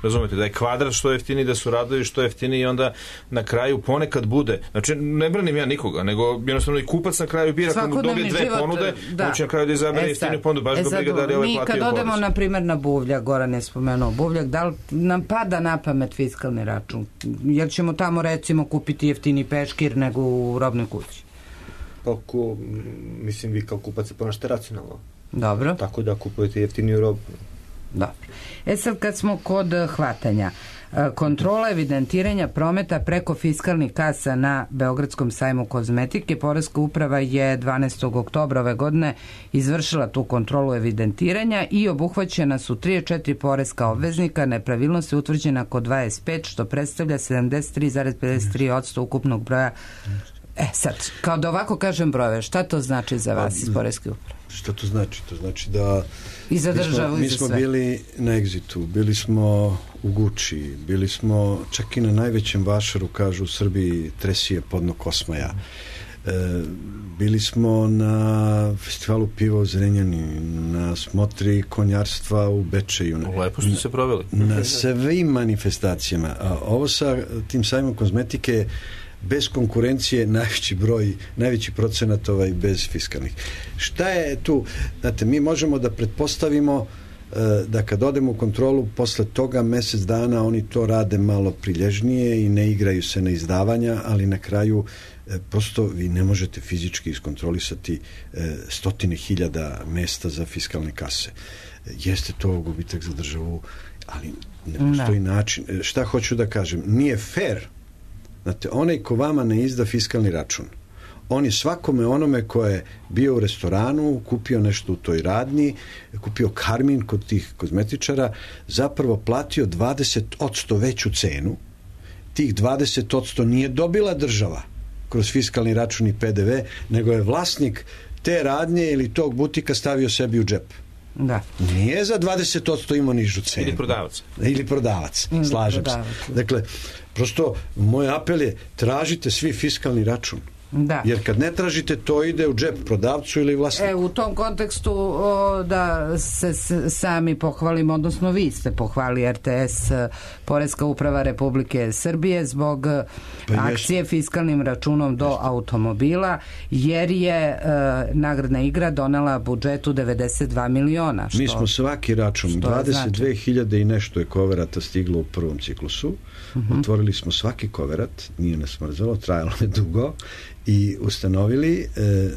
Razumete, da je kvadrat što jeftiniji, da su radovi što jeftiniji i onda na kraju ponekad bude, znači ne branim ja nikoga, nego jednostavno i kupac na kraju bira, kad mu dobije dve život, ponude, da. Moće na kraju da izabere jeftiniju ponudu, baš ga briga da li ovaj platio porez. Mi kad odemo, na primjer, na Buvljak, Goran je spomenuo Buvljak, da li nam pada na pamet fiskalni račun? Jer ćemo tamo, recimo, kupiti jeftini peškir nego u robnoj kući? Pa, ko, mislim, vi kao kupac se ponašate racionalno. Dobro. Tako da kupujete jeftiniju robu. Dobro. E sad, kad smo kod hvatanja, kontrola evidentiranja prometa preko fiskalnih kasa na Beogradskom sajmu kozmetike, Poreska uprava je dvanaestog oktobra ove godine izvršila tu kontrolu evidentiranja i obuhvaćena su trideset četiri poreska obveznika, nepravilnost je utvrđena kod dvadeset pet, što predstavlja sedamdeset tri zarez pedeset tri posto ukupnog broja. E sad, kao da ovako kažem brojeve, šta to znači za vas iz Poreske uprave? Šta to znači? To znači da i za državu mi smo, mi smo bili na Exitu, bili smo u Guči, bili smo čak i na najvećem vašaru, kažu u Srbiji, Tresije podno Kosmaja. E, bili smo na festivalu piva u Zrenjani, na smotri konjarstva u Bečeju. Lepo ste se proveli. Na svim manifestacijama. A ovo sa tim sajmom kozmetike bez konkurencije najveći broj, najveći procenat ovaj bez fiskalnih. Šta je tu? Znate, mi možemo da pretpostavimo da kad odemo u kontrolu posle toga mesec dana oni to rade malo prilježnije i ne igraju se na izdavanja, ali na kraju prosto vi ne možete fizički iskontrolisati stotine hiljada mesta za fiskalne kase. Jeste to gubitak za državu, ali ne postoji no. način. Šta hoću da kažem? Nije fair. Znate, onaj ko vama ne izda fiskalni račun, on je svakome onome ko je bio u restoranu, kupio nešto u toj radnji, kupio karmin kod tih kozmetičara, zapravo platio dvadeset posto veću cenu. Tih dvadeset posto nije dobila država kroz fiskalni račun i P D V, nego je vlasnik te radnje ili tog butika stavio sebi u džep. Da. Nije za dvadeset posto imao nižu cenu. Ili prodavac. Ili prodavac, Ili slažem prodavac. se. Dakle, prosto, moj apel je, tražite svi fiskalni račun. Da. Jer kad ne tražite, to ide u džep prodavcu ili vlasniku. E, u tom kontekstu o, da se s, sami pohvalimo, odnosno vi ste pohvali R T S, Poreska uprava Republike Srbije, zbog pa akcije jest. fiskalnim računom do jest. automobila, jer je e, nagradna igra donela budžetu devedeset dva miliona. Što, Mi smo svaki račun, dvadeset dve hiljade i nešto je koverata stiglo u prvom ciklusu. Uh-huh. Otvorili smo svaki koverat, nije nas mrzelo, trajalo je dugo, i ustanovili e,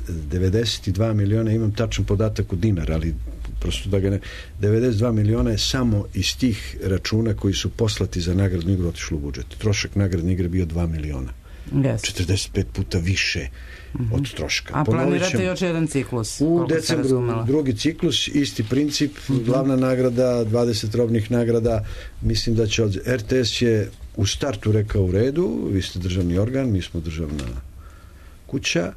devedeset dva miliona, imam tačan podatak u dinar, ali prosto da ga ne... devedeset dva miliona je samo iz tih računa koji su poslati za nagradnu igru otišlo u budžet. Trošak nagradne igre bio dva miliona. Yes. četrdeset pet puta više mm-hmm. od troška. A planirate još jedan ciklus? U decembru drugi ciklus, isti princip, mm-hmm. glavna nagrada, dvadeset robnih nagrada, mislim da će od... R T S je u startu rekao u redu, vi ste državni organ, mi smo državna kuća,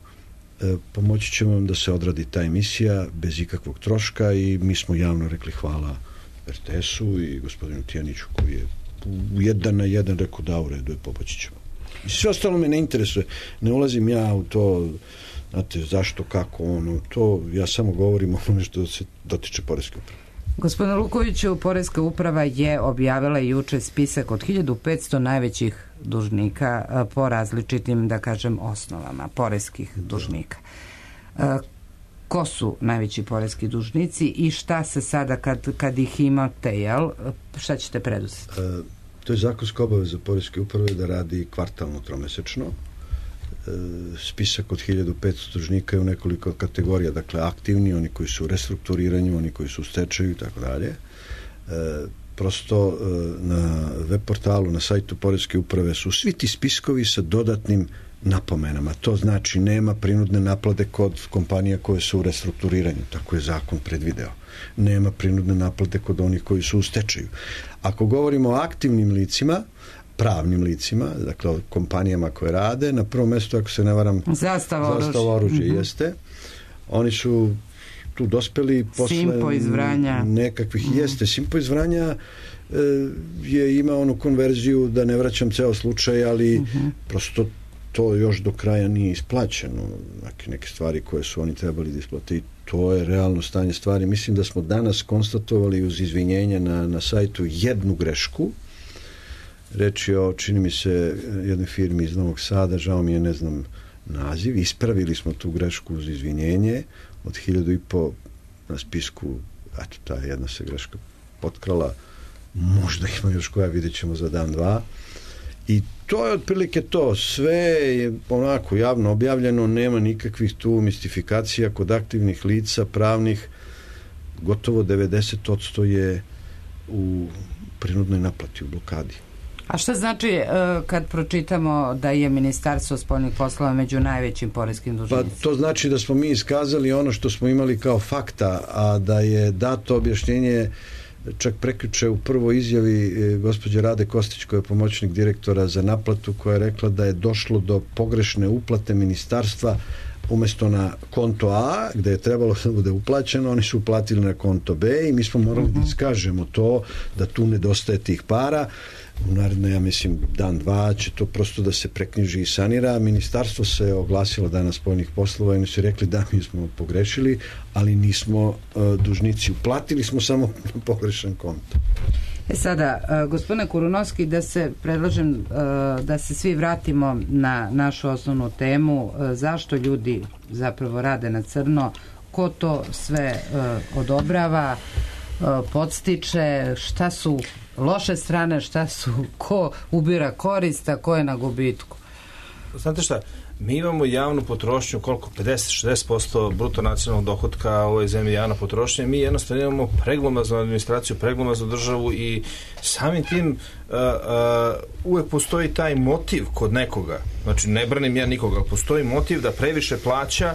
e, pomoći ćemo vam da se odradi ta emisija bez ikakvog troška i mi smo javno rekli hvala R T S-u i gospodinu Tijaniću koji je u jedan na jedan rekao da u redu je, pomoći ćemo. I sve ostalo me ne interesuje. Ne ulazim ja u to, znate, zašto, kako, ono, to, ja samo govorim o ono što se dotiče Poreske uprave. Gospodine Lukoviću, Poreska uprava je objavila juče spisak od hiljadu petsto najvećih dužnika po različitim, da kažem, osnovama poreskih dužnika. Ko su najveći poreski dužnici i šta se sada kad, kad ih imate, jel, šta ćete preduzeti? E, to je zakonska obaveza Poreske uprave da radi kvartalno, tromesečno. E, spisak od hiljadu petsto dužnika je u nekoliko kategorija, dakle aktivni, oni koji su u restrukturiranju, oni koji su u stečaju i tako dalje. Prosto e, na web portalu, na sajtu Poreske uprave su svi ti spiskovi sa dodatnim napomenama. To znači nema prinudne naplate kod kompanija koje su u restrukturiranju, tako je zakon predvideo. Nema prinudne naplate kod onih koji su u stečaju. Ako govorimo o aktivnim licima, pravnim licima, dakle o kompanijama koje rade, na prvom mjestu, ako se ne varam, Zastava oružje, oružje mm-hmm. jeste. Oni su tu dospeli posle Simpo iz Vranja. nekakvih mm-hmm. jeste. Simpo iz Vranja e, je imao onu konverziju, da ne vraćam ceo slučaj, ali mm-hmm. prosto to još do kraja nije isplaćeno. Neke, neke stvari koje su oni trebali da isplate i to je realno stanje stvari. Mislim da smo danas konstatovali uz izvinjenje na, na sajtu jednu grešku. Reč je o, čini mi se, jednoj firmi iz Novog Sada, žao mi je, ne znam naziv. Ispravili smo tu grešku uz izvinjenje. Od hiljadu i po na spisku, eto, ta jedna se greška potkrala. Možda ima još koja, vidjet ćemo za dan, dva. I to je otprilike to. Sve je onako javno objavljeno, nema nikakvih tu mistifikacija kod aktivnih lica, pravnih. Gotovo devedeset posto je u prinudnoj naplati, u blokadi. A šta znači kad pročitamo da je Ministarstvo spoljnih poslova među najvećim poreskim dužnicima? Pa to znači da smo mi iskazali ono što smo imali kao fakta, a da je dato objašnjenje čak prekjuče u prvoj izjavi gospođe Rade Kostić, koja je pomoćnik direktora za naplatu, koja je rekla da je došlo do pogrešne uplate ministarstva. Umesto na konto A, gde je trebalo da bude uplaćeno, oni su uplatili na konto B i mi smo morali uh-huh. da iskažemo to, da tu nedostaje tih para. U naredno, ja mislim, dan, dva će to prosto da se preknjiži i sanira. Ministarstvo se oglasilo danas spoljnih poslova i oni su rekli da mi smo pogrešili, ali nismo uh, dužnici. Uplatili smo samo na pogrešan konto. E sada, uh, gospodine Kurunovski, da se predlažem uh, da se svi vratimo na našu osnovnu temu, uh, zašto ljudi zapravo rade na crno, ko to sve uh, odobrava, uh, podstiče, šta su loše strane, šta su, ko ubira korist, a ko je na gubitku. Znate šta, mi imamo javnu potrošnju, koliko, pedeset do šezdeset posto bruto nacionalnog dohotka u ovoj zemlji javna potrošnja, mi jednostavno imamo preglomaznu administraciju, preglomaznu državu i samim tim uh, uh, uvek postoji taj motiv kod nekoga, znači ne branim ja nikoga, ali postoji motiv da previše plaća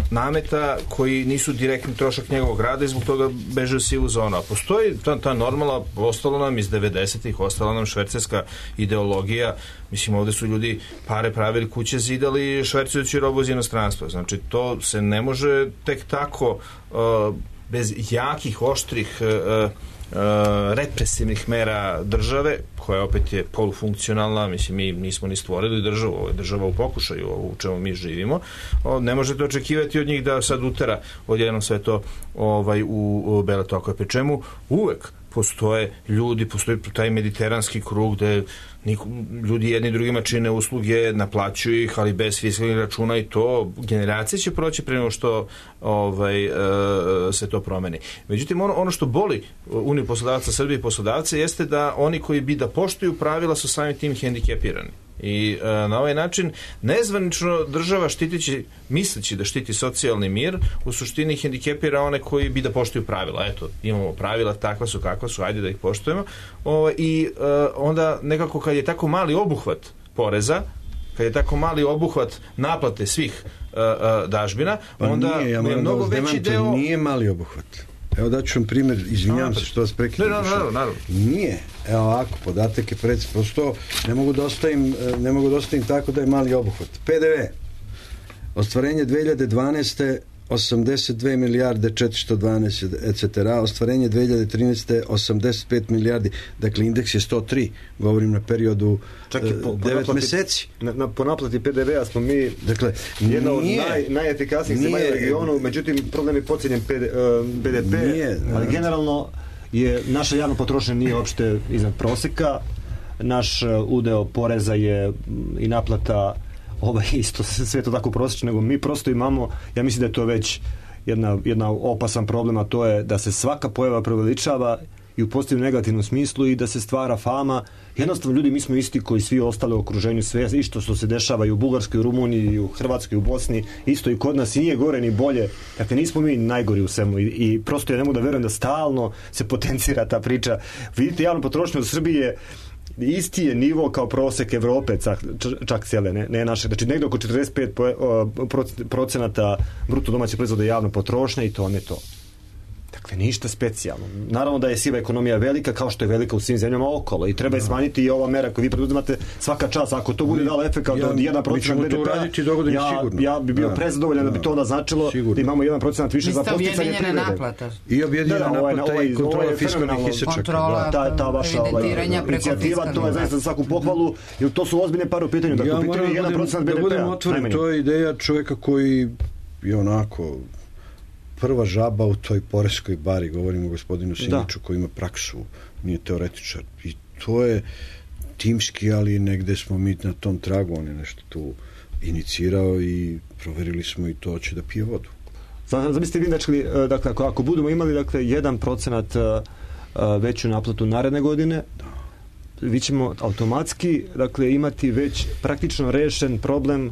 nameta koji nisu direktni trošak njegovog rada i zbog toga beže u sivu zonu. A postoji ta, ta normala, ostalo nam iz devedesetih, ostala nam švercerska ideologija. Mislim, ovde su ljudi pare pravili, kuće zidali, švercujući robu iz inostranstva. Znači, to se ne može tek tako uh, bez jakih, oštrih uh, Uh, represivnih mera države, koja opet je polufunkcionalna, mislim, mi nismo ni stvorili državu, ovo je država u pokušaju, ovo u čemu mi živimo, o, ne možete očekivati od njih da sad utera odjednom sve to ovaj, u, u bele tokove, pri čemu uvek postoje ljudi, postoji taj mediteranski krug gde niko, ljudi jedni drugima čine usluge, naplaćuju ih, ali bez fiskalnih računa i to generacije će proći pre nego što ovaj, e, se to promeni. Međutim, ono, ono što boli Uniju poslodavaca Srbije i poslodavce jeste da oni koji bi da poštuju pravila su samim tim hendikepirani. I e, na ovaj način nezvanično država štitići, misleći da štiti socijalni mir, u suštini hendikepira one koji bi da poštuju pravila. Eto, imamo pravila, takva su kakva su, ajde da ih poštujemo. O, I e, onda nekako kad je tako mali obuhvat poreza, kad je tako mali obuhvat naplate svih e, e, dažbina, pa onda nije, ja je mnogo da veći deo... Nije mali obuhvat. Evo daću vam primjer, izvinjam se što vas prekidam. Ne, naravno, naravno. Nije. Evo ovako, podatak je pred, prosto ne mogu da ostavim, ne mogu da ostavim tako da je mali obuhvat. P D V. Ostvarenje dve hiljade dvanaeste osamdeset dve milijarde četiristo dvanaest et cetera. Ostvarenje dve hiljade trinaeste. osamdeset pet milijardi. Dakle, indeks je sto tri. Govorim na periodu Čak i po, po devet naplati, meseci. Na, na, po naplati P D V-a smo mi dakle, jedna od nije, naj, najefikasnijih zemalja u regionu, međutim problem je podcijenjen B D P, nije, ali generalno je naša javna potrošnja nije uopšte iznad proseka. Naš udeo poreza je i naplata ovaj, isto sve to tako prosječno, nego mi prosto imamo, ja mislim da je to već jedna, jedna opasan problem, a to je da se svaka pojava preveličava i u pozitivnom negativnom smislu i da se stvara fama. Jednostavno ljudi, mi smo isti koji svi ostali u okruženju, sve isto što se dešava i u Bugarskoj, u Rumuniji, i u Hrvatskoj, i u Bosni, isto i kod nas, i nije gore ni bolje. Dakle, nismo mi najgori u svemu i, i prosto ja ne mogu da verujem da stalno se potencira ta priča. Vidite, javnu potrošnju u Srbiji je isti je nivo kao prosek Evrope, čak, čak cijele, ne, ne naše. Znači, negdje oko četrdeset pet procenata bruto domaće proizvoda javna potrošnja i to ne to. Dakle, ništa specijalno. Naravno da je siva ekonomija velika, kao što je velika u svim zemljama okolo i treba je smanjiti i ova mera koju vi preduzimate svaka čast. Ako to bude dalo efekt od jedan procenat B D P-a, ja, ja bi bio da. prezadovoljan da bi to onda značilo sigurno. Da imamo jedan procenat više za posticanje privrede. Naplata. I objedinjena da, da, naplata i kontrola fiskalnih isečaka. Kontrola, ta, ta vaša inicijativa, to je zaista za svaku pohvalu, jer to su ozbiljne pare u pitanju. Dakle, u pitanju je jedan procenat B D P-a. Da budem otvoren, to je ideja čovjeka koji je onako prva žaba u toj poreskoj bari, govorimo o gospodinu Simiću koji ima praksu, nije teoretičar. I to je timski, ali negde smo mi na tom tragu, on je nešto tu inicirao i proverili smo i to će da pije vodu. Zamislite vi, dakle, dakle ako, ako budemo imali dakle, jedan procenat veću naplatu naredne godine, da. Vi ćemo automatski dakle, imati već praktično rešen problem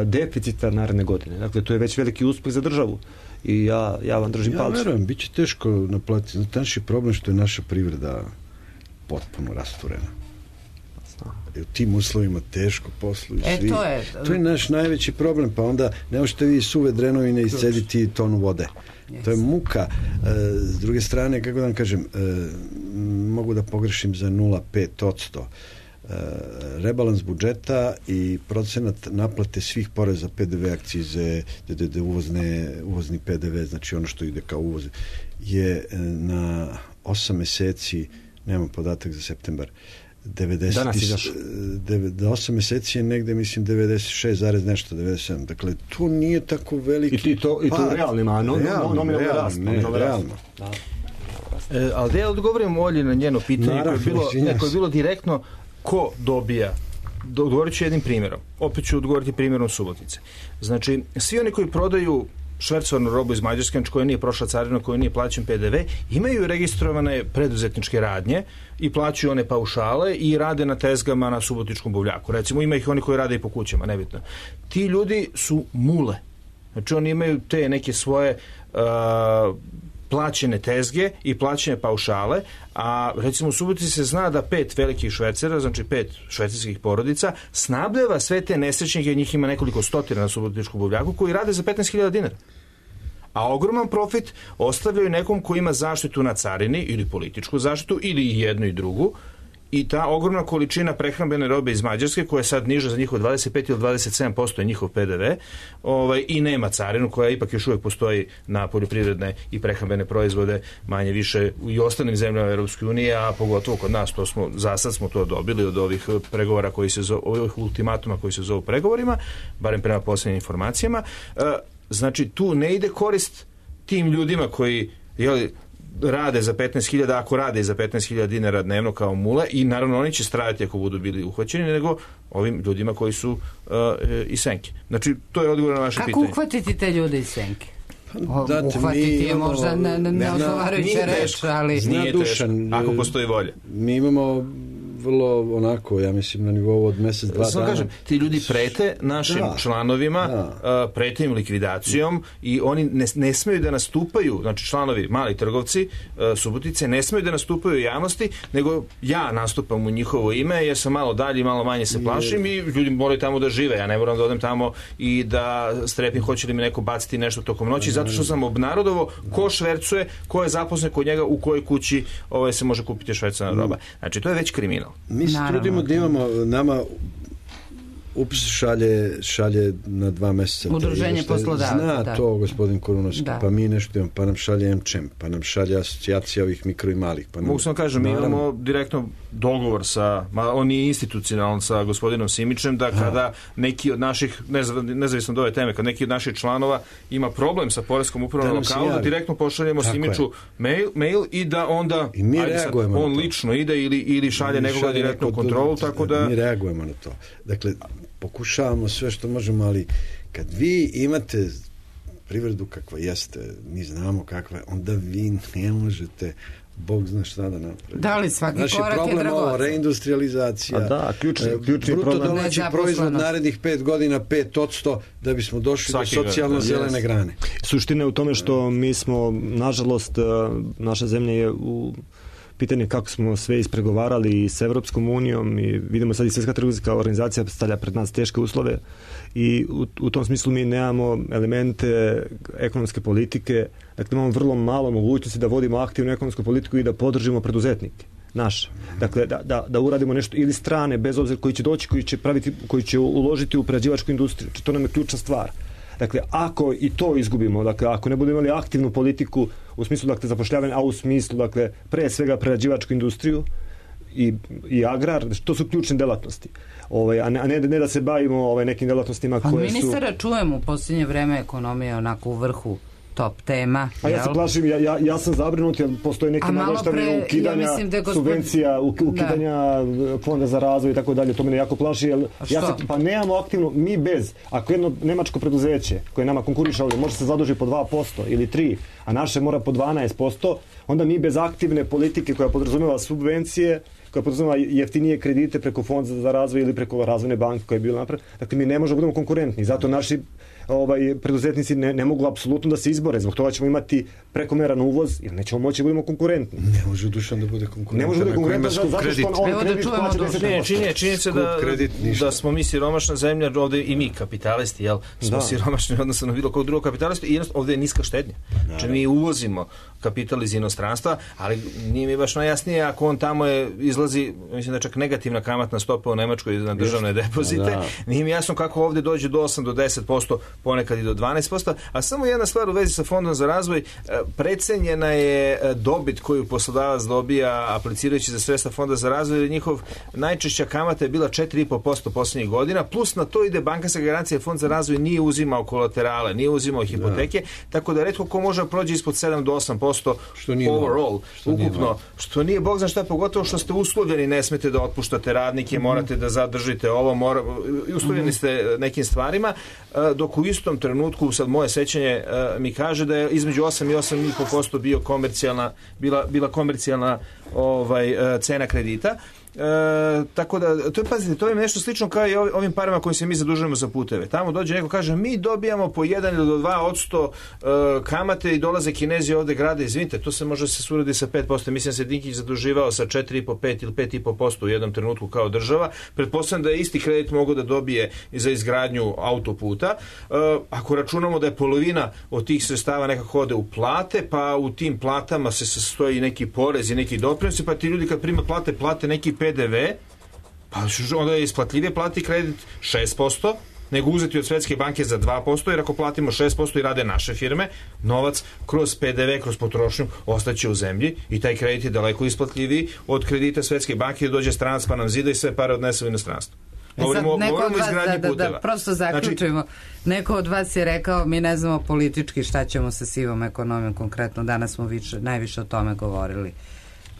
deficita naredne godine. Dakle, to je već veliki uspeh za državu. I ja, ja vam držim ja palce. Ja verujem, bit će teško naplatiti. Znate, naš je problem što je naša privreda potpuno rasturena. U tim uslovima teško posluju e, svi. To je, to je naš najveći problem, pa onda ne možete vi suve drenovine iscediti tonu vode. Yes. To je muka. E, s druge strane, kako da vam kažem, e, mogu da pogrešim za nula zarez pet posto. Uh, rebalans budžeta i procenat naplate svih poreza, P D V, akcize, D D D, uvozne, uvozni P D V, znači ono što ide kao uvoz, je na osam meseci, nemam podatak za septembar, devedeset, danas izašao. osam meseci je negde, mislim, devedeset šest zarez nešto, devedeset sedam. Dakle, to nije tako veliki... I to, i to u realnima, no, realno, nominalno rast. Ne, realno. Da. E, ali da ja odgovorim Olji na njeno pitanje Naravno, koje, je bilo, ne, koje je bilo direktno ko dobija. Odgovorit ću jednim primjerom. Opet ću odgovoriti primjerom Subotice. Znači, svi oni koji prodaju švercovanu robu iz Mađarske, znači koja nije prošla carinu, koja nije plaćen P D V, imaju registrovane preduzetničke radnje i plaćaju one paušale i rade na tezgama na subotičkom buvljaku. Recimo, ima ih oni koji rade i po kućama, nebitno. Ti ljudi su mule. Znači, oni imaju te neke svoje uh, plaćene tezge i plaćene paušale, a recimo u Subotici se zna da pet velikih švercera, znači pet švercerskih porodica, snabdeva sve te nesrećnike, njih ima nekoliko stotina na subotičkom buvljaku, koji rade za petnaest hiljada dinara. A ogroman profit ostavljaju nekom koji ima zaštitu na carini ili političku zaštitu ili i jednu i drugu, i ta ogromna količina prehrambene robe iz Mađarske, koja je sad niža za njihov dvadeset pet ili dvadeset sedam posto je njihov P D V, ovaj, i nema carinu, koja ipak još uvijek postoji na poljoprivredne i prehrambene proizvode manje više i ostalim zemljama Europske unije, a pogotovo kod nas, to smo, za sad smo to dobili od ovih pregovora koji se zove, ovih ultimatuma koji se zovu pregovorima, barem prema posljednjim informacijama. E, znači, tu ne ide korist tim ljudima koji, jeli, rade za petnaest hiljada, ako rade za petnaest hiljada dinara dnevno kao mule, i naravno oni će stradati ako budu bili uhvaćeni, nego ovim ljudima koji su uh, iz senke. Znači, to je odgovor na vaše Kako pitanje. Kako uhvatiti te ljude iz senke? Da, uhvatiti je možda neodgovarajuća reč, ali... Nije teško, ako postoji volja. Mi imamo vrlo onako, ja mislim, na nivou od mjesec, dva Samo dana. Kažem, ti ljudi prete našim da, članovima, da. prete im likvidacijom i oni ne, ne smeju da nastupaju, znači članovi, mali trgovci Subotice, ne smeju da nastupaju u javnosti, nego ja nastupam u njihovo ime, jer sam malo dalje i malo manje se plašim i ljudi moraju tamo da žive. Ja ne moram da odem tamo i da strepim hoće li mi neko baciti nešto tokom noći, zato što sam obnarodovo ko švercuje, ko je zaposlen kod njega, u kojoj kući ovaj, se može kupiti švercovana roba. Znači, to je već kriminal. Mi se trudimo da imamo nama U P S šalje, šalje na dva mjeseca. Udruženje poslodavaca. Zna da. to gospodin Korunovski, da. Pa mi nešto imamo, pa nam šalje M Č E M, pa nam šalje asocijacija ovih mikro i malih. Pa nam, Mogu sam kažem, mi imamo direktno dogovor sa, ma on je institucionalan sa gospodinom Simićem, da kada neki od naših, nezavisno od ove teme, kad neki od naših članova ima problem sa poreskom upravom na lokalu, da direktno pošaljemo Tako Simiću mail, mail i da onda I mi ajde reagujemo sad, on na to. lično ide ili, ili šalje ili nekoga šalje direktno u kontrolu, tako da... Mi reagujemo na to. Dakle, pokušavamo sve što možemo, ali kad vi imate privredu kakva jeste, mi znamo kakva je, onda vi ne možete, Bog zna šta da napravi. Da li svaki Naši korak je problem dragocen? ovo, reindustrializacija, A da, ključni, ključni bruto problem. domaći proizvod narednih pet godina pet odsto da bismo došli Svaki do socijalno god, zelene yes. grane. Suština je u tome što mi smo, nažalost, naša zemlja je u pitanje kako smo sve ispregovarali i s Evropskom unijom i vidimo sad i Svjetska trgovinska organizacija stavlja pred nas teške uslove i u, u tom smislu mi nemamo elemente ekonomske politike, dakle imamo vrlo malo mogućnosti da vodimo aktivnu ekonomsku politiku i da podržimo preduzetnike naše. Dakle, da, da, da uradimo nešto ili strane, bez obzira koji će doći, koji će, praviti, koji će uložiti u prerađivačku industriju. To nam je ključna stvar. Dakle, ako i to izgubimo, dakle, ako ne budemo imali aktivnu politiku u smislu, dakle, zapošljavanja, a u smislu, dakle, pre svega prerađivačku industriju i, i agrar, to su ključne delatnosti. Ovaj, a ne, a ne, ne da se bavimo ovaj, nekim delatnostima pa koje su... Pa ministara čujemo u posljednje vreme ekonomije onako u vrhu top tema. A ja se plašim, ja, ja, ja sam zabrinut jer postoje neke naveštavine ukidanja ja da gospod... subvencija, ukidanja da. fonda za razvoj i tako dalje. To mene jako plaši. Jer ja se, pa nemamo aktivno, mi bez, ako jedno nemačko preduzeće koje nama konkuriše ovdje može se zaduži po dva posto ili tri, a naše mora po dvanaest posto, onda mi bez aktivne politike koja podrazumeva subvencije, koja podrazumeva jeftinije kredite preko fonda za razvoj ili preko razvojne banke koja je bila napravljena, dakle mi ne možemo budemo konkurentni. Zato naši ovaj, preduzetnici ne, ne mogu apsolutno da se izbore. Zbog toga ćemo imati prekomeran uvoz jer nećemo moći da budemo konkurentni. Ne može Dušan da bude konkurentan. Ne može da bude konkurentan zato što on, on kredit plaća deset posto. Činje, činje se da, da smo mi siromašna zemlja, ovdje i mi kapitalisti, jel? Smo da. siromašni odnosno na bilo kog drugog kapitalistu i ovdje je niska štednja. Znači mi uvozimo kapital iz inostranstva, ali nije mi baš najjasnije ako on tamo je, izlazi, mislim da čak negativna kamatna stopa u Nemačkoj na državne depozite. Da. Nije mi jasno kako ovdje dođe do osam do deset posto, ponekad i do dvanaest posto, a samo jedna stvar u vezi sa fondom za razvoj, precenjena je dobit koju poslodavac dobija aplicirajući za sredstva fonda za razvoj, jer njihov najčešća kamata je bila četiri i po posto posljednjih godina, plus na to ide bankarska garancija, fond za razvoj nije uzimao kolaterale, nije uzimao hipoteke, da. Tako da retko ko može prođe ispod sedam do osam posto što nije overall, što ukupno, nije što nije bog zna šta, pogotovo što ste uslovljeni, ne smete da otpuštate radnike, mm-hmm. morate da zadržite ovo, mora, uslovljeni ste nekim stvarima, dok u istom trenutku, sad moje sećanje mi kaže da je između osam i osam i po posto bio komercijalna, bila, bila komercijalna ovaj, cena kredita. E, tako da, to je, pazite, to je nešto slično kao i ovim parama kojim se mi zadužujemo za puteve. Tamo dođe neko kaže, mi dobijamo po jedan ili do dva odsto e, kamate i dolaze Kinezi ovde grade, izvinite, to se može se suradi sa pet posto. Mislim se Dinkić zaduživao sa četiri i po, pet ili pet i po posto u jednom trenutku kao država. Pretpostavljam da je isti kredit mogao da dobije za izgradnju autoputa. E, ako računamo da je polovina od tih sredstava nekako ode u plate, pa u tim platama se sastoji neki porez i neki doprinosi, pa ti ljudi kad prime plate, plate neki P D V, pa onda je isplatljivije plati kredit šest posto nego uzeti od Svetske banke za dva posto, jer ako platimo šest posto i rade naše firme, novac kroz P D V, kroz potrošnju ostaće u zemlji i taj kredit je daleko isplatljiviji od kredita Svetske banke da dođe stranac pa nam zida i sve pare odnese u inostranstvo. Govorimo, neko govorimo od vas, da, da, da prosto zaključujemo, znači, neko od vas je rekao mi ne znamo politički šta ćemo sa sivom ekonomijom konkretno, danas smo više, najviše o tome govorili.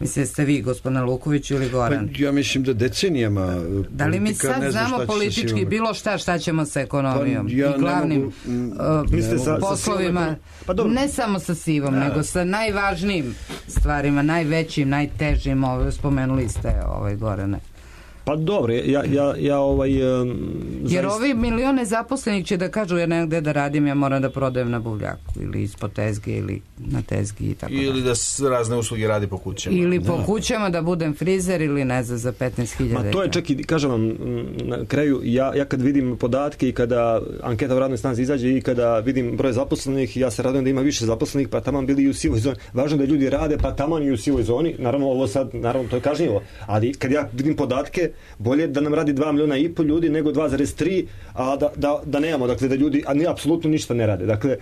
Mislim, ste vi, gospodine Luković ili Goran? Pa, ja mislim da decenijama da li mi sad znamo politički bilo šta šta ćemo sa ekonomijom pa, ja i glavnim mogu, uh, sa, poslovima, sa pa, ne samo sa sivom, da. Nego sa najvažnijim stvarima, najvećim, najtežim, ove, spomenuli ste ovaj Gorane. Pa dobro, ja, ja, ja ovaj... Um, jer zaista... ovi milione zaposlenih će da kažu ja negde da radim, ja moram da prodajem na buvljaku ili ispod tezge ili na tezgi i tako ili da s razne usluge radi po kućama. Ili da. Po kućama da budem frizer ili ne znam za petnaest hiljada. Ma to je čak i, kažem vam, na kraju, ja, ja kad vidim podatke i kada anketa u radnoj snazi izađe i kada vidim broj zaposlenih, ja se radujem da ima više zaposlenih, pa taman bili i u sivoj zoni. Važno da ljudi rade, pa taman i u sivoj zoni. Naravno, ovo sad, naravno, to je kažnjivo. Ali kad ja vidim podatke, bolje da nam radi dva miliona i pol ljudi nego dva zarez tri, a da, da, da nemamo, dakle da ljudi, a ni apsolutno ništa ne rade. Dakle,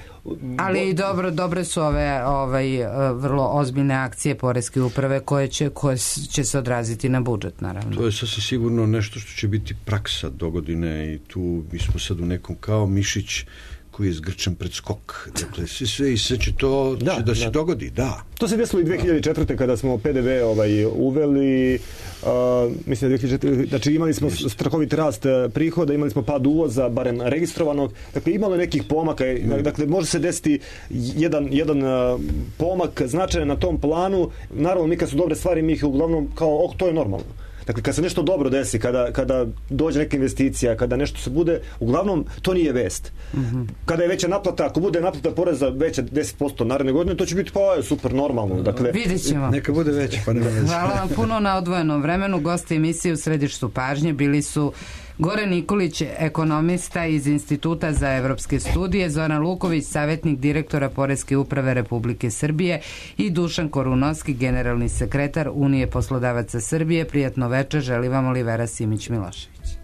ali bo... dobro, dobre su ove ovaj, vrlo ozbiljne akcije poreske uprave koje će, koje će se odraziti na budžet, naravno. To je sasvim sigurno nešto što će biti praksa dogodine i tu mi smo sad u nekom kao mišić koji je zgrčan pred skok. Dakle, sve, sve i sve će to da, će da se da. dogodi, da. To se desilo i dve hiljade četvrte kada smo P D V ovaj, uveli, uh, mislim da dve hiljade četvrte, znači imali smo strahovit rast prihoda, imali smo pad uvoza, barem registrovanog, dakle imalo je nekih pomaka, mm. dakle može se desiti jedan, jedan uh, pomak značajan na tom planu, naravno mi kad su dobre stvari, mi ih uglavnom kao, oh, to je normalno. Dakle, kad se nešto dobro desi, kada, kada dođe neka investicija, kada nešto se bude, uglavnom, to nije vest. Mm-hmm. Kada je veća naplata, ako bude naplata poreza veća deset posto naredne godine, to će biti pa super normalno. Dakle, vidjet ćemo. Neka bude veća, pa nema veze. Hvala vam puno na odvojenom vremenu. Gosti emisije u središtu pažnje bili su Goran Nikolić, ekonomista iz Instituta za evropske studije, Zoran Luković, savjetnik direktora Poreske uprave Republike Srbije i Dušan Korunovski, generalni sekretar Unije poslodavaca Srbije. Prijatno večer, želi vam Olivera Simić-Milošević.